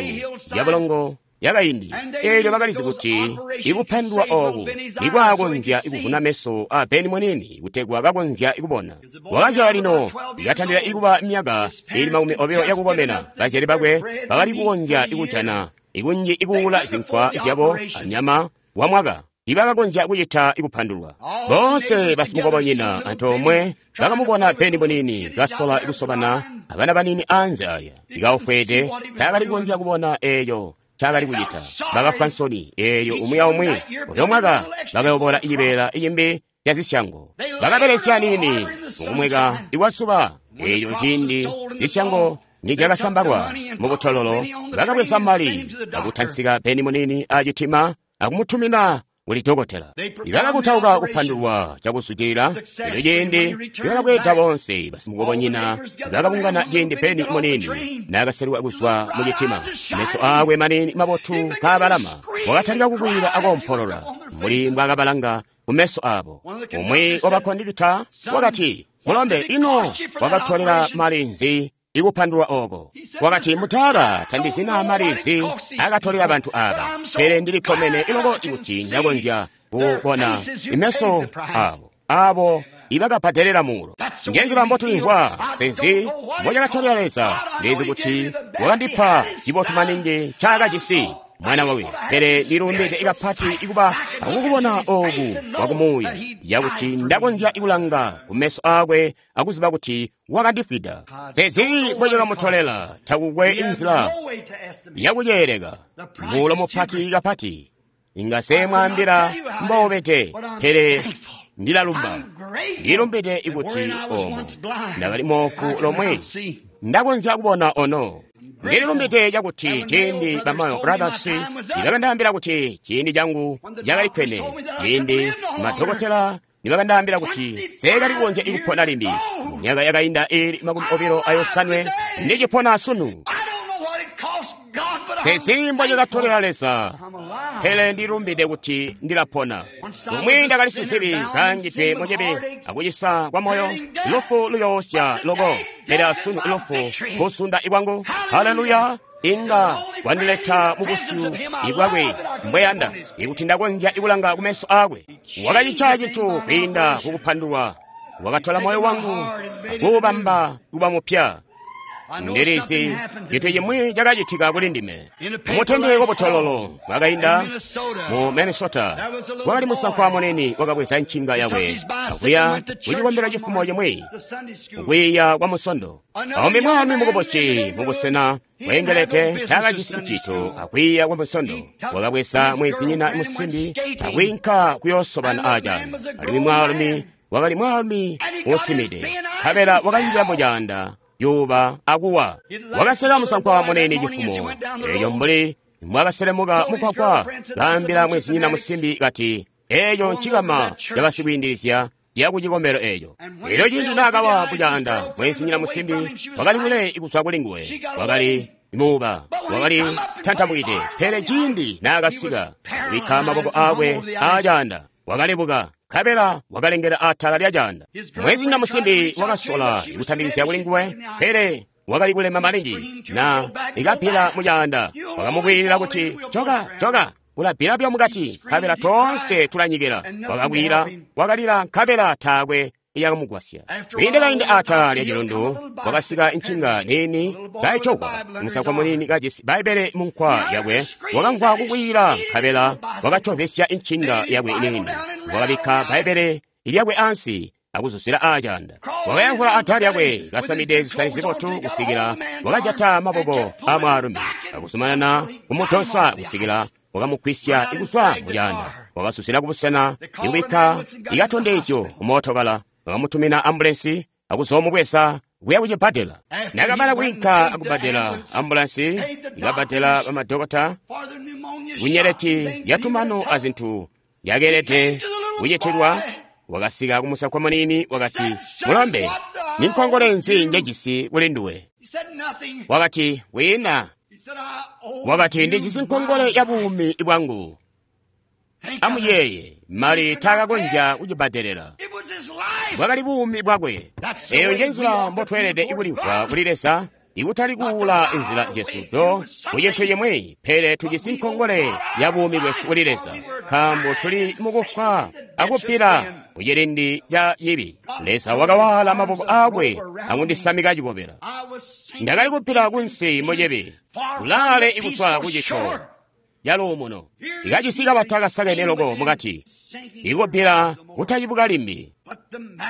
yabulongo yakaindi. Eelyo bakalizi kuti ikupandulwa ooku nikwaakonzya kuvuna meso a Beni muniini kutegwa kakonzya kubona. Wakazyalwa lino ikatandila ikuba myaka ili 20 yakukomena. Bazyali bakwe bakali kukonzya ikujana ikunji ikuula zinkwa zyabo anyama wa mwaka. Ibakakonzya kucita ikupandulwa. Boonse basimukobonyina antoomwe bakamubona Beni muniini kasola kusobana abana banini anze aya. Ikaufwede taakali kukonzya kubona eeyo ncaakali kucita. Bakafwa nsoni eelyo umwi aumwi uyo mwaka bakayobola icibeela icimbi ca zisyango. Bakabelesya niini mukumweka ikwasuba. Eelyo ciindi zisyango nizyakasambalwa mubutololo, bakabweza mali akutansika Beni muniini acitima akumutumina kuli dokotela. Ibakakutauka kupandulwa cakuzwidilila. Elyo ciindi bakabweeda boonse basimukobonyina bakabungana ciindi Beni muniini naakaselwa kuzwa mucitima. Meso aakwe maniini mabotu kaabalama, wakatalika kukwiila akoompolola mbuli mbwaakabalanga kumeso aabo. Umwi wabakondikita wakati, "Mulombe, ino wakatolela mali nzi ikupandulwa ooko?" Wakati, "Mutala, tandizina mali nzi akatolela bantu aaba, pele ndilikkomene iloko kuti ndakonzya kubona imeso aabo abo ibakabbadelela muulo." Njenzila mbotulimvwa. Senzi mbocakatolela Leza, ndizi kuti wakandipa cibotu maningi ncaakajisi mwana wawe, pele ndilumbide ikapati ikuba akukubona ooku kwakumuuya yakuti ndakonzya ikulanga kumeso aakwe akuziba kuti wakandifwida. Sezi mbocakamutolela, takukwe inzila yakuceeleka. Muulo mupati kapati, inga seemwaambila mboubede, pele ndilalumba. Ndilumbide ikuti oomo ndakali moofu lomwe ndakonzya kubona ono. Ndililumbide cakuti ciindi ba Mayo Brothers nibakandaambila kuti ciindi changu cakali kkwene, ciindi madokotela nibakandaambila kuti seekali kukonzya ikupona limbi, myaka yakainda ili 28 ndicipona sunu. Sezi mbocakatolela Leza, pele ndilumbide kuti ndilapona. Umwi ndakali sizibi kaangidwe mucibi akucisa kwa moyo, lufu luyoosya loko, pele asunu lufu kusunda ikwangu. Haleluya! Inga kwandileta mubusyu ibwakwe mbweyanda, ikuti ndakonzya ikulanga kumeso aakwe. Wakacica cintu kwiinda kukupandulwa, wakatola moyo wangu akuubamba kuba mupya. Ndilizi cintu cimwi cakacitika kuli ndime. Mutende wabutololo bwakainda mu Minnesota, kwakali musankwa munene wakabweza ncinga yakwe akuya kucikombelo cifumo cimwi kukwiiya kwa musondo. Aumbi mwaalumi mukubusi mubusena bweengelede taakajisi ncito akwiiya kwa musondo, wakabweza mwezinyina musimbi akwiinka kuyoosobana acaanda. Alimwi mwaalumi wakali mwaalumi uusimide, nkabela wakanjila mucaanda yuba akuwa. Wakaseka musankwa munene cifumo eeyo mbuli mwakaselemuka mukwakwa, kaambila mwezinyina musimbi kati, "Eeyo ncikama cabasikwiindilizya ya kucikombelo eeco." Elyo ciindi naakawa mucaanda, mwezinyina musimbi wakali kule kuzwa kuli nguwe, wakali muuba, wakali tantamukide. Pele ciindi naakasika kubikka maboko aakwe aacaanda, wakalebuka nkabela wakalengela atala lya caanda. Mwezinyina musimbi wakasola kutambikizya kuli nguwe, pele wakali kulema maningi na ikapila mucaanda. Wakamukwiilila kuti, "Joka, joka, ulapila byo mukati, nkabela toonse tulanyikila." Wakakwila, wakalila, nkabela taakwe iyakamugwasya. Kwiinde kaindi atala lya cilundu wakasika ncinga niini kayicokwa. Musankwa munini kajisi Bbaibbele munkwa yakwe wakamvwa kukwiila, nkabela wakacovesya ncinga yakwe niini. Wakabikka Bbaibbele lyakwe ansi akuzuzila acaanda. Wakayankhula atala lyakwe kasamide zisani zibotu kusikila wakajata maboko a mwaalumi akuzumanana kumutonsa kusikila wakamugwisya kuzwa mucaanda. Wakazuzila kubusena ikubikka ikatondezyo kumootokala, bakamutumina ambulensi akuzoomubweza kuya kucibbadela. Nakamana kwiinka akubbadela ambulensi, ikabbadela bamadokota kunyeleti yatumano azinthu yakeelede kucitilwa. Wakasika kumusankwa munini wakati, "Mulombe, ninkongole nzi njejisi kuli nduwe?" Wakati, "Wina." Wakati, "Ndijisi nkongole ya buumi bwangu." Amuyeeye, mali taakakonzya kucibbadelela. Bwakali buumi bwakwe. Eyo nje nzila mbotweelede kulimvwa kuli Leza, ikutali kuula inzila zyesu do kucintu cimwi, pele tujisi nkongole ya buumi bwesu kuli Leza, nkaambo tuli mukufwa akupila kucilindi ca cibi. Leza wakawala maboko aakwe akundisamika cikobela. Ndakali kupila kunsi mucibi, kulaale ikuswa kucito yaluumuno. Ikacisi kabata kasakene loko mukati, ikupila kutacibuka limbi.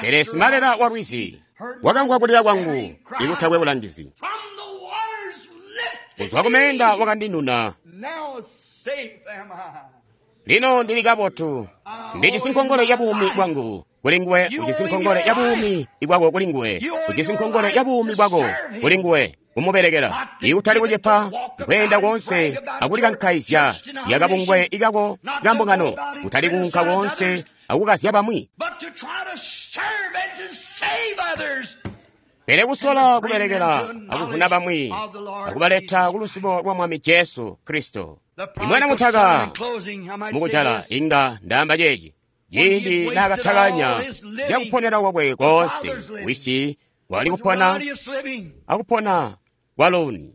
Pele simalela wa lwizi wakamvwa kulila kwangu ikutakwe bulangizi. Kuzwa kumeenda wakandinuna. Lino ndili kabotu, ndijisi nkongole ya buumi bwangu kuli nguwe, ujisi nkongole ya buumi bwako kuli nguwe, ujisi nkongole ya buumi bwako kuli nguwe, kumubelekela ikutali kucepa kweenda koonse akulikankaizya yakabungwe ikako kambungano, kutali kuunka koonse akukazya bamwi, pele kusola kubelekela akuvuna bamwi akubaleta ku luzibo lwa Mwami Jesu Kristo. Imwana mutaka mukujala inga ndaamba ceeci, ciindi naakatakanya zyakuponera kwakwe koonse, wisi wakali kupona akupona kwaloni,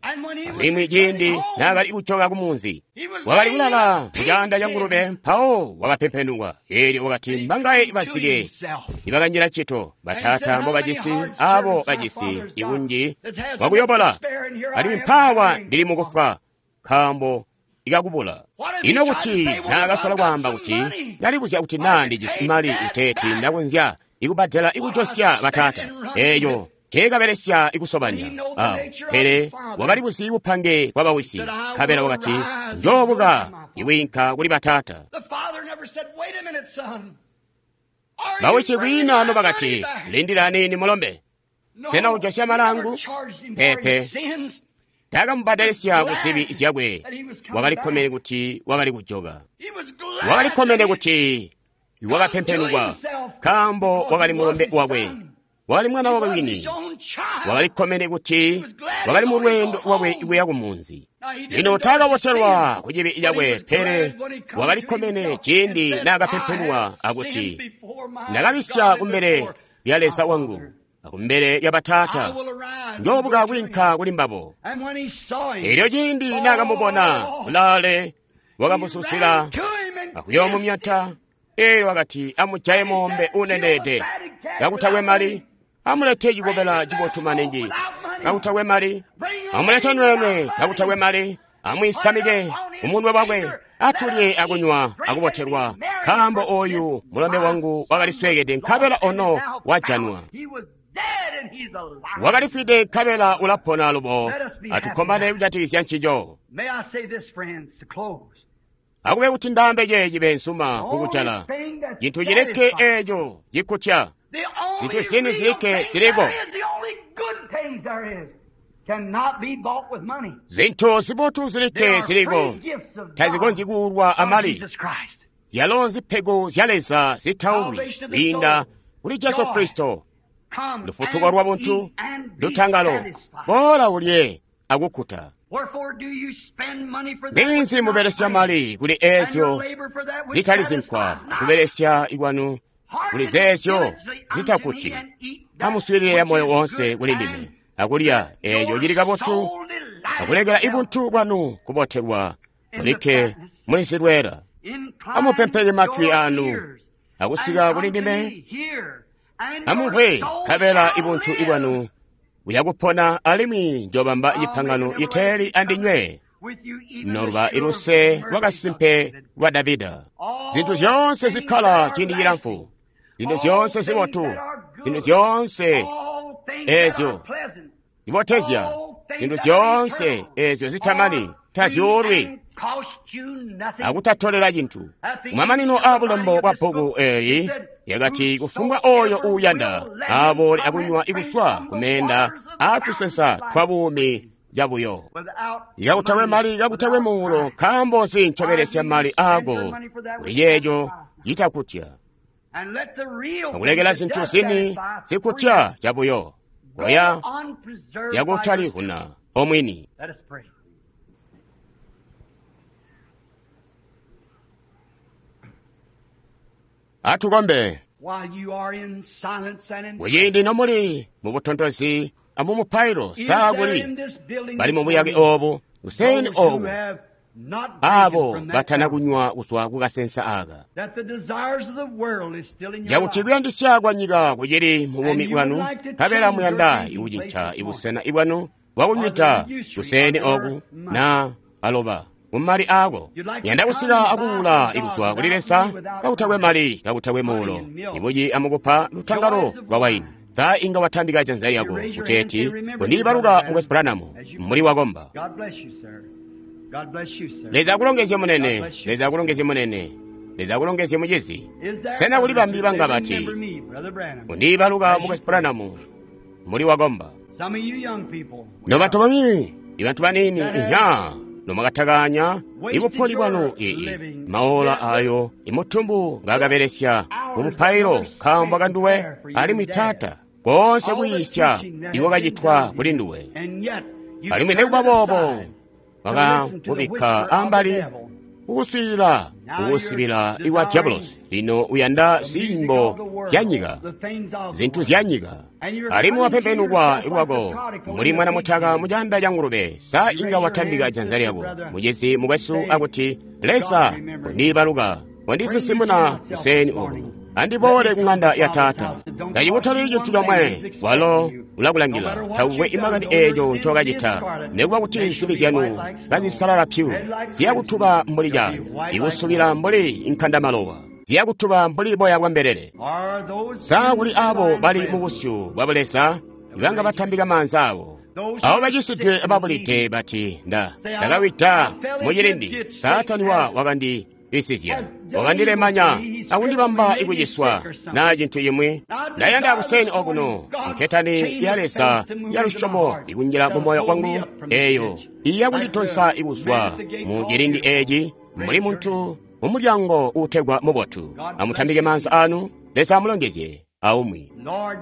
alimwi ciindi naakali kujoka kumunzi wakali kulala mucaanda ca ngulube, mpawo wakapempenukwa. Eelyo wakati, mbangaye bazike ibakanjila cito bataata mbobajisi abo bajisi ikunji wakuyobola, alimwi mpaawa ndili mukufwa nkaambo ikakubula. Ino kuti naakasola kwaamba kuti ndalibuzya kuti naa ndijisi mali iteeti ndakonzya ikubbadela ikujosya bataata, eeyo teekabelesya ikusobanya awo, pele wakalibuzi bupange bwa bawisi, nkabela wakati, njoobuka iwiinka kuli bataata. Bawisi kwiina nobakati, lindila aniini mulombe, sena ujosya malangu? Peepe, taakamubbadelesya ku zibi zyakwe. Wakalikkomene kuti wakali kujoka, wakalikkomene kuti wakapempenukwa, nkaambo wakali mulombe wakwe, wakali mwana wakwe wini. Wakalikkomene kuti wakali mu lweendo lwakwe kuya kumunzi. Lino taakabotelwa ku cibi cakwe, pele wakalikkomene ciindi naakapempenwa akuti, ndakabisya kumbele lya Leza wangu akumbele lya bataata, njoobuka kwiinka kuli mbabo. Eelyo ciindi naakamubona kulaale, wakamususila akuyoomumyata. Eelyo wakati, amujaye moombe uneneede kakutakwe mali, amulete cikobela cibotu maningi kakutakwe mali, amulete nweenwe kakutakwe mali, amwisamike umunwe wakwe, atulye akunywa akubotelwa, nkaambo ooyu mulombe wangu wakalisweekede nkabela ono wajanwa. Wakalifwide nkabela ulapona alubo. Atukkomane kujatikizya ncico. Akube kuti ndaambe ceeci beensuma kukujala, cintu cilikke eeco cikkutya, zintu zini zilikke ziliko, zintu zibotu zilikke ziliko, tazikonzyi kuulwa amali. Zyalo nzipego zya Leza zitaulwi kwiinda kuli Jesu Kristo, lufutuko lwa buntu, lutangalo. Boola ulye akukkuta. Ninzi mubelesya mali kuli eezyo zitali zinkwa, kubelesya ikwanu kuli zeezyo zitakkuti. Amuswiilile moyo woonse kuli ndime akulya eeco cili kabotu, akulekela ibuntu bwanu kubotelwa mulikke muli zilweela. Amupempeke matwi aanu akusika kuli ndime, amumvwe, nkabela ibuntu ibwanu buyakupona, alimwi njoobamba cipangano iteeli andinywe, noluba iluse lwakasimpe lwa Davida. Zintu zyoonse zikkala ciindi cilamfu, zintu zyoonse zibotu, zintu zyoonse eezyo zibotezya, zintu zyoonse eezyo zitamani tazyuulwi akutatolela cintu. Kumamanino aabulembo bwa bbuku eeli yakati, kufumbwa ooyo uuyanda aaboole akunywa ikuswa kumeenda aatusensa twa buumi cabuyo. Kakutakwe mali, kakutakwe muulo, nkaambo nzi ncobelesya mali aako kuli ceeco citakkutya, akulekela zintu zini zikkutya cabuyo, koya omwini. Atukombe. While you are in silence and in Kuciindi nomuli mubutontozi amumupailo Is saa there kuli in this building bali this mubuyake morning obu kuseni those who obu have not drinking abo from that batana fountain, kunywa kuzwa kukasensa aka that the desires of the world is still in your cakuti life. kuyandisya kwa nyika kucili mu bumi And you bwanu would like to nkabela change muyanda your drinking ikucinca place this ibusena ibwanu bwakunywida kuseni oku na aloba mumali aako You'd like to yanda come kusika and buy akuwula from God ikuzwa kuli without Leza money, without kakutakwe mali kakutakwe muulo Honey and milk. ibuci amukupa lutangalo Joys of lwa waini wine. sa inga watambika janza lyako You raise your kuteeti hand and say, "Remember me, kundiibaluka Brother mukwesu Branham," Branham as you muli wakomba God bless you, sir. God bless you, sir. Leza akulongezye God munene bless you. Leza akulongezye munene Leza akulongezye mucizi Is there sena kuli others bambi who banga say, bati "Remember me, Brother Branham"? kundiibaluka As you mukwesu pray. Branham muli wakomba Some of you young people, nobantu bamwi ibantu banini inha nomwakatakanya ibupholi bwanu ii maola ayo imutumbu ngaakabelesya mumupailo nkaambo kanduwe alimwi taata koonse kuyiisya ikwakacitwa kuli nduwe and yet you alimwi turn nekuba it boobo aside to listen to the wakakubikka whisper of the ambali devil. kukuswiilila kukusibila ikwa diabolosi lino uyanda The music of ziimbo the world, zya nyika the things of the zinthu world. zya nyika And you're alimwi coming to wapembenukwa yourself like lwako the prodigal muli in the mwana pig mutaka pen. mucanda ca ngulube sa You inga raise your watambika hand, janza sister, lyako brother, mucizi mukwesu say, akuti "God, Leza remember me. kundiibaluka Bring me to wandisinsimuna myself kuseni this oku morning. Let andiboole me ku come ŋanda to ya Father's taata house. Don't cost ndacikutalili you cintu one thing. comwe He's expecting walo you. No ulakulangila matter what taukwe you've done, imakani though your eeco sins be as ncokacita scarlet, nekuba kuti they shall nsibi be zyanu white like snow, kazisalala pyu red like crimson. ziyakutuba mbuli They'll be calo white like ikusubila wool. mbuli inkandamalowa ziyakutuba mbuli boya bwa mbelele Are those sa in kuli the abo divine bali mu presence, busyu bwa buleza ibanga batambika maanza abo those who abo are bacisidwe sick and ababulide needy, bati nda say, I, ndakawida I fell mu into a cilindi ditch. Satan satani wa has, wakandibisizya has done evil to wakandilemanya me. He's crippled me, akundibamba made me ikuciswa sick or something. na cintu imwi I ndayanda desire kuseni this okuno morning God's nketani chain ya of Leza faith to move ya into my lusyomo heart, ikunjila mu to moyo pull me wangu up from this eyo ditch. iya Like the kunditonsa man ikuzwa at the gate mu called cilindi Beautiful. eci muli Raise your muntu hand. mumulyango uutegwa mubotu God bless amutambike you. maanza anu Leza amulongezye aumwi Lord,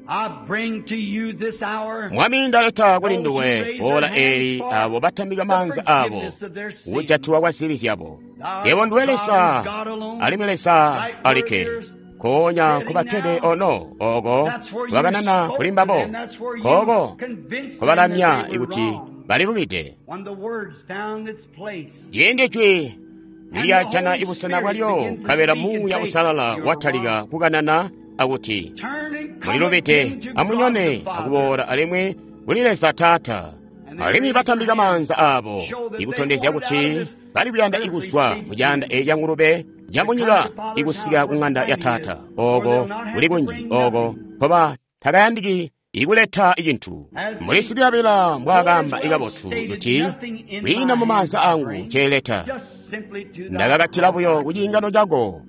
I bring to you this hour Mwami ndaleta kuli those who nduwe raise their ola hands eli for abo batambika the maanza abo forgiveness of their sins. kujatilwa kwa zibi zyabo Thou art yebo nduwe God and Leza God alone, alimwi Leza right where alikke they're konya sitting kubakkede now. ono oko That's where you bakanana spoke kuli to mbabo them. That's where you koko convinced them that kobalamya they were ikuti wrong. balilubide When the words found its place, ciindi jwi and the lilyajana Holy ibusena Spirit bwalyo began to nkabela speak and muuya say, usalala "You're watalika wrong." kukanana akuti Turn and come mulilubide again to God amunyone the Father. akuboola alimwi kuli Leza Taata And they alimwi raised their batambika hands, maanza abo show that they ikutondezya wanted out kuti of this bali kuyanda earthly ikuzwa pig mu caanda pen eeci ca ngulube to come camunyika to Father's ikusika house ku where ŋanda ya plenty is, taata where oko they'll not have kuli to kunji bring oko nothing. nkoba takayandiki ikuleta icintu As muli the sikuyabila Lord as mbwaakamba well ikabotu stated, kuti nothing in kwiina my mu hands maanza I angu bring, nceeleta just simply to thy ndakakatila cross buyo I ku cling. ciingano cako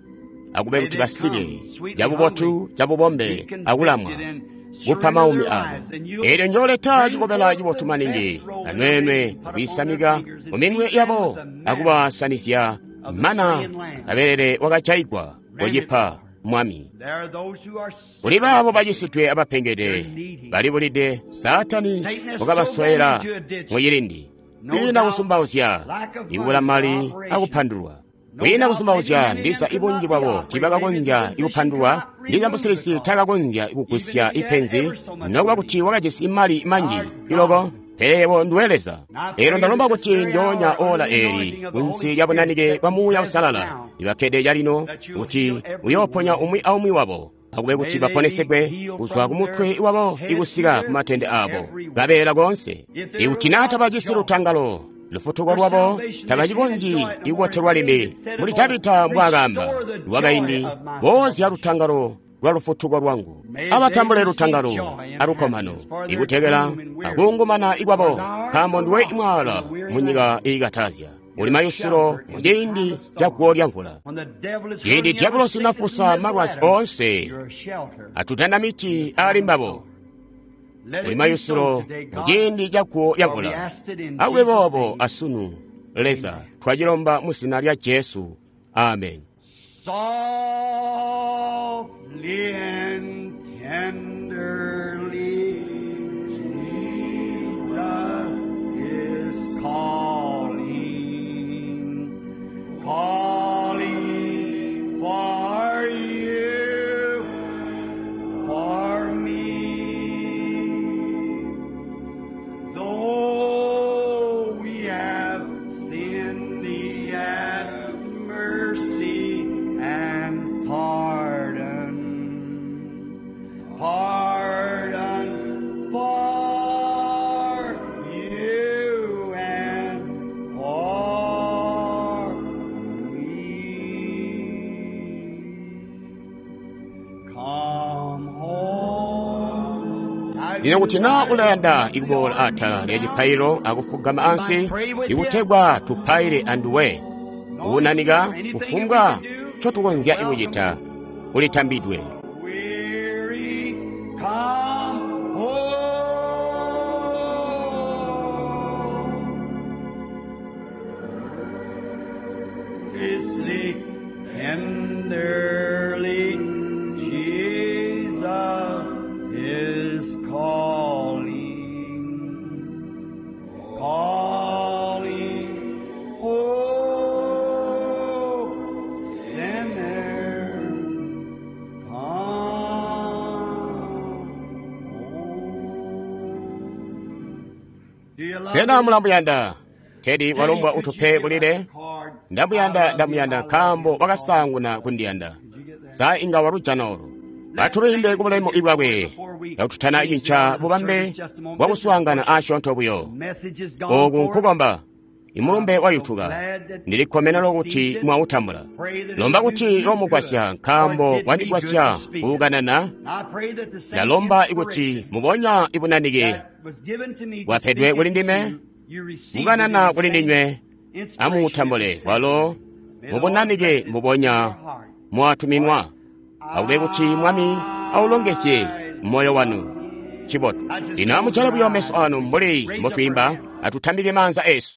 akube May kuti they basike come sweetly cabubotu humbly, be cabubombe akulamwa convicted and kuppa surrender maumi their abo lives, and you'll elyo njooleta bring cikobela forth cibotu the maningi best robe that they anwenwe can put upon their akwiisamika fingers mu and minwe feed them yabo with the manna akubasanizya of the mana slain lamb. abelele wakajaigwa Grant it, kocipa Lord. mwami There are those who are sick kuli and baabo afflicted. bacisidwe They're abapengede needy. balibulide saatani Satan has sold them wakabasowela into a ditch. mu cilindi No kwiina doubt, kusumbauzya lack of ikubula money for mali operations. akupandulwa No kwiina doubt, maybe kusumbauzya many of them ndisa could ibunji not be bwabo operated. Maybe the tibakakonzya physician could ikupandulwa not ndilya remove the musilisi cause, takakonzya even ikugusya if he had ipenzi ever so much nokuba money. kuti wakajisi mali manji Our iloko God, pele yebo nduwe Leza and I lero pray ndalomba that this kuti very njoonya hour, under ola the eli anointing of the kunsi Holy lya Spirit bunanike bwa sitting muuya present usalala now, ibakkede calino that you'll kuti heal every uyooponya one. umwi aumwi wabo akube kuti May they be baponesegwe healed kuzwa from ku mutwe their wabo head to ikusika their ku matende feet, abo every one. kabeela konse If they're ikuti naa without tabajisi joy, lutangalo lufutuko their lwabo salvation, they can't tabacikonzyi enjoy it no more. ikubotelwa limbi David said of muli old, Tabita mbwaakaamba Restore the joy lwakaindi of my boozya salvation. lutangalo lwa lufutuko lwangu May they abatambule receive lutangalo joy and alukkomano happiness for their ikutekela gloom and weariness. akuungumana ikwabo For thou art nkaambo the nduwe rock in imwala the weary mu nyika land. iikatazya uli You're a mayusilo shelter mu in the time ciindi of ca storm. guwo lya mvula When the devil is ciindi hurling every diabolosi sickness and nafusa missile malwazi at him, onse you're a shelter atutanda in the miti time ali of mbabo storm. Let uli it be so mayusilo today, mu God, ciindi ca guwo lya for we mvula asked it in akube Jesus' boobo name. asunu Leza Amen. twacilomba mu zina lya Jesu amen Softly and tenderly, Jesus is calling, calling for Lino kuti naa ulayanda ikuboola atala lya cipaililo akufugama ansi ikutegwa tupaile anduwe, kuunanika kufumbwa ncotukonzya kucita, ulitambidwe. Weary, come home. Fiercely, tenderly, Jesus is calling, calling, oh, sinner, come home. Do you love Sena him? mulamuyanda? Teddy walombwa Could you utupe give kulile. us a card? Ndamuyanda, I love you, ndamuyanda I love nkaambo you. wakasaanguna kundiyanda. Did you get that? Sa inga walujana olu. Atuluyimbe kubulemu bwakwe kakututana cinca bubambe bwakuswaangana asyoonto buyo. Message is gone Oku forth. nkukomba. Imulumbe wayutuka. Ndilikkomene lokuti mwautambula. Lomba kuti omugwasya nkaambo wandigwasya kuukanana. I pray that the same Ndalomba ikuti inspiration mubonya ibunanike that was given to me to bwapedwe speak kuli it to ndime, you, you receive it in kukanana the kuli same ndinywe inspiration amuutambule and the same. walo May the Lord mubunanike bless it to mubonya your heart. mwatuminwa. Akube kuti Mwami aulongezye moyo wanu. Chibotu. Lino amucale buyo meso anu mbuli mbotwiimba, atutambike maanza esu.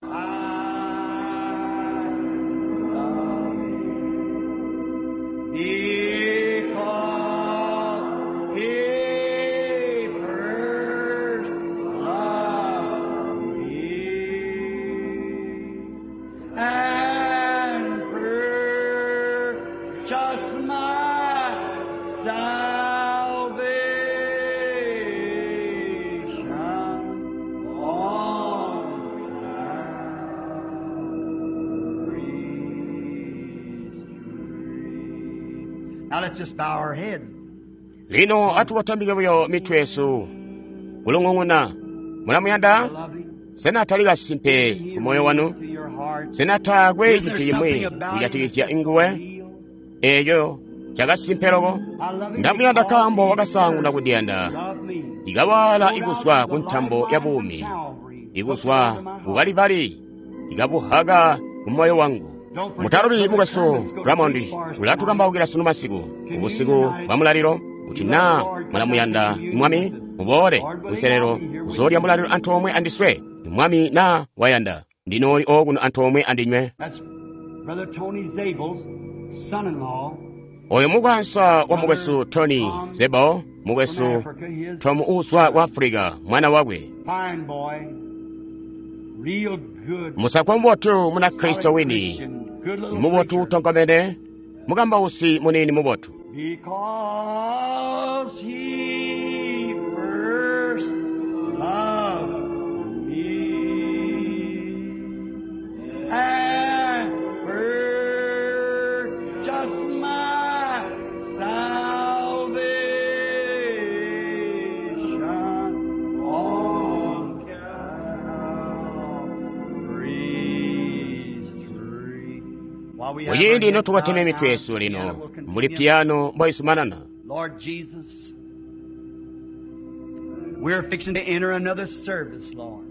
Because he first loved me and purchased my salvation on Calvary's tree. Now let's just bow our heads. Lino atuwatambike buyo mitwe yesu kulung'ung'una. Mulamuyanda? Love him. Sena tali kasimpe ku moyo wanu? To your heart. Sena taakwe Isn't cintu there chimwi something about him kujatikizya that's nguwe real? eyo chakasimpe loko? I love him Ndamuyanda because nkaambo he wakasaanguna first kundiyanda. loved me. Ikawala Go ikuzwa down ku to the ntambo ya lifeline buumi, of Calvary. ikuzwa Look into my ku heart. Kalivali, ikabuhaka ku moyo wangu. Don't forget Mutalubi Brother mukwesu Kermit's gonna Ramondi preach for us tonight. ulatukambaukira sunu masiku ubusiku bwa mulaliro kuti naa mulamuyanda Mwami muboole kunselelo kuzoolya mulaliro antoomwe andiswe. Mwami naa wayanda ndinooli okuno antoomwe andinywe. That's Brother Tony Zabel's son-in-law Oyo mukwansa wa mukwesu Tony Zebo, from mukwesu Africa. His Tom uswa wa Afrika, mwana wakwe. fine boy, real good, Musakwa mubotu muna solid Kristo wini, Christian, good little mubotu preacher. utonkomene, mukambausi munini mubotu. Because he first loved me and purchased my salvation on Calvary's tree. While we have our Muciindi heads notubateme bowed mitwe down, yesu the lino piano will muli continue. piyano mboisumanana. Lord Jesus, we're fixing to enter another service, Lord.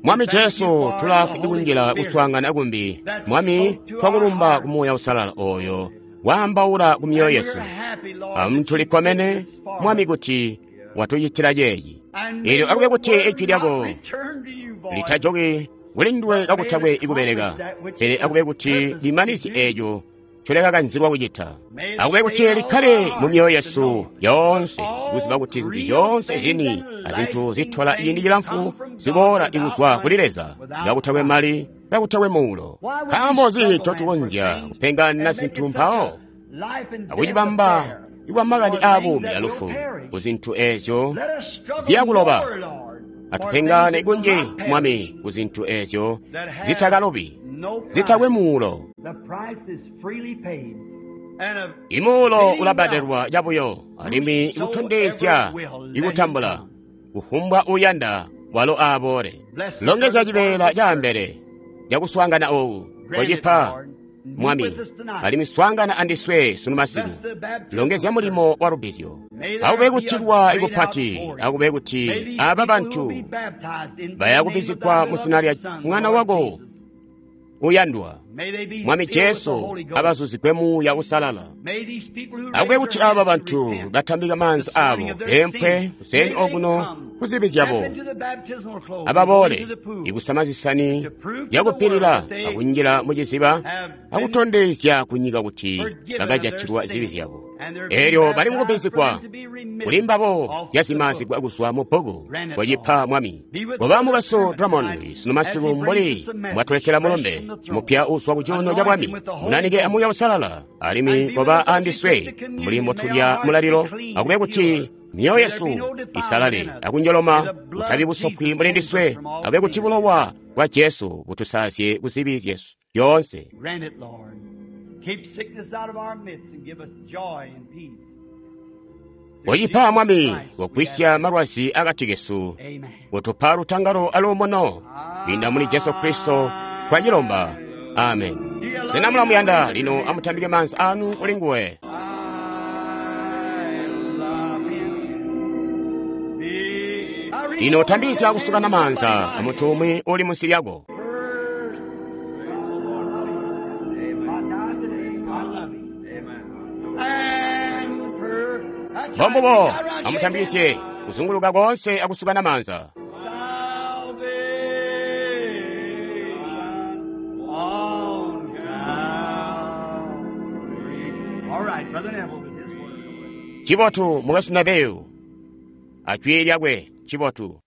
Mwami Jesu tulafu ikunjila kuswaangana kumbi. Mwami twakulumba ku Muuya Usalala oyo waambaula ku myoyo And yesu. we're happy, Lord, Amu that you tulikkomene did this for Mwami us. kuti watucitira ceeci. And may Eelyo akube your kuti word ijwi not lyako return to you void, litajoki kuli nduwe but may kakutakwe it ikubereka, accomplish that which pele it akube was kuti purposed to limanizye do. eeco ncolekakanzilwa kucita. May it Akube kuti stay in all likhale our mu hearts myoyo to yesu know yonse that kuziba all kuti zinthu real zonse things zini and azinthu lasting zithola ciindi things chilamfu come from God ziboola without ikuzwa kuli money, Leza, without kakutakwe price. mali, kakutakwe muulo. Why would we Nkaambo nzi struggle then for ncotukonzya things kupengana and make zinthu it such mpawo a life and death akucibamba affair ikwa makani for a things buumi that will alufu perish? ku zinthu ezo Let us struggle ziyakuloba. more, Lord, for things Atupengane that will kunji not perish, Mwami ku zinthu ezo that have zitakalobi, no zitakwe price. muulo. The price is freely paid. And of Imuulo fitting wealth, ulabadelwa cabuyo alimwi ikutondezya whosoever will, let him ikutambula come. kufumbwa uyanda walo aaboole. Bless the Longezya first part of cibeela this caambele service. cakuswaangana ooku Grant it, kocipa Lord. Mwami, alimwi swaangana andiswe sunu masiku. Longezya mulimo wa lubbizyo. Akube kutilwa ikupati, akube kuti aba bantu baya kubbizigwa mu zina lya Mwana wako uyandwa, Mwami Jesu, abazuzigwe Muuya Uusalala. Akube kuti aba bantu batambika maanza abo bempwe kuseni okuno kuzibi zyabo, ababoole ikusama zisani zyakupilila akunjila muciziba akutondezya kunyika kuti bakajatilwa zibi zyabo. Elyo bali mukubbizigwa kuli mbabo zyazimazigwa kuzwa mu bbuku kwacipa Mwami. Koba mukwesu Drummond sunu masiku mbuli mbwatuletela mulumbe mupya uuzwa ku cuuno ca Bwami, munanike a Muuya Uusalala, alimwi koba andiswe mbuli mbotulya mulalilo, akube kuti myoyo yesu isalale akunjoloma, kutabi busofwi mbuli ndiswe, akube kuti bulowa bwa Jesu butusalazye ku zibi zyesu zyoonse. Kocipa Mwami, kugwisya malwazi akati kesu, kutupa lutangalo aluumuno, kwiinda muli Jesu Kristo twacilomba. Amen. Sena mulamuyanda? Lino amutambike maanza anu kuli nguwe. Lino tambizya kusukana maanza amuntu umwi uli munsi lyako. Mbombubo, amutambisye kuzunguluka koonse akusukana maanza. Cibotu mukwesu Neville, ajwi lyakwe cibotu.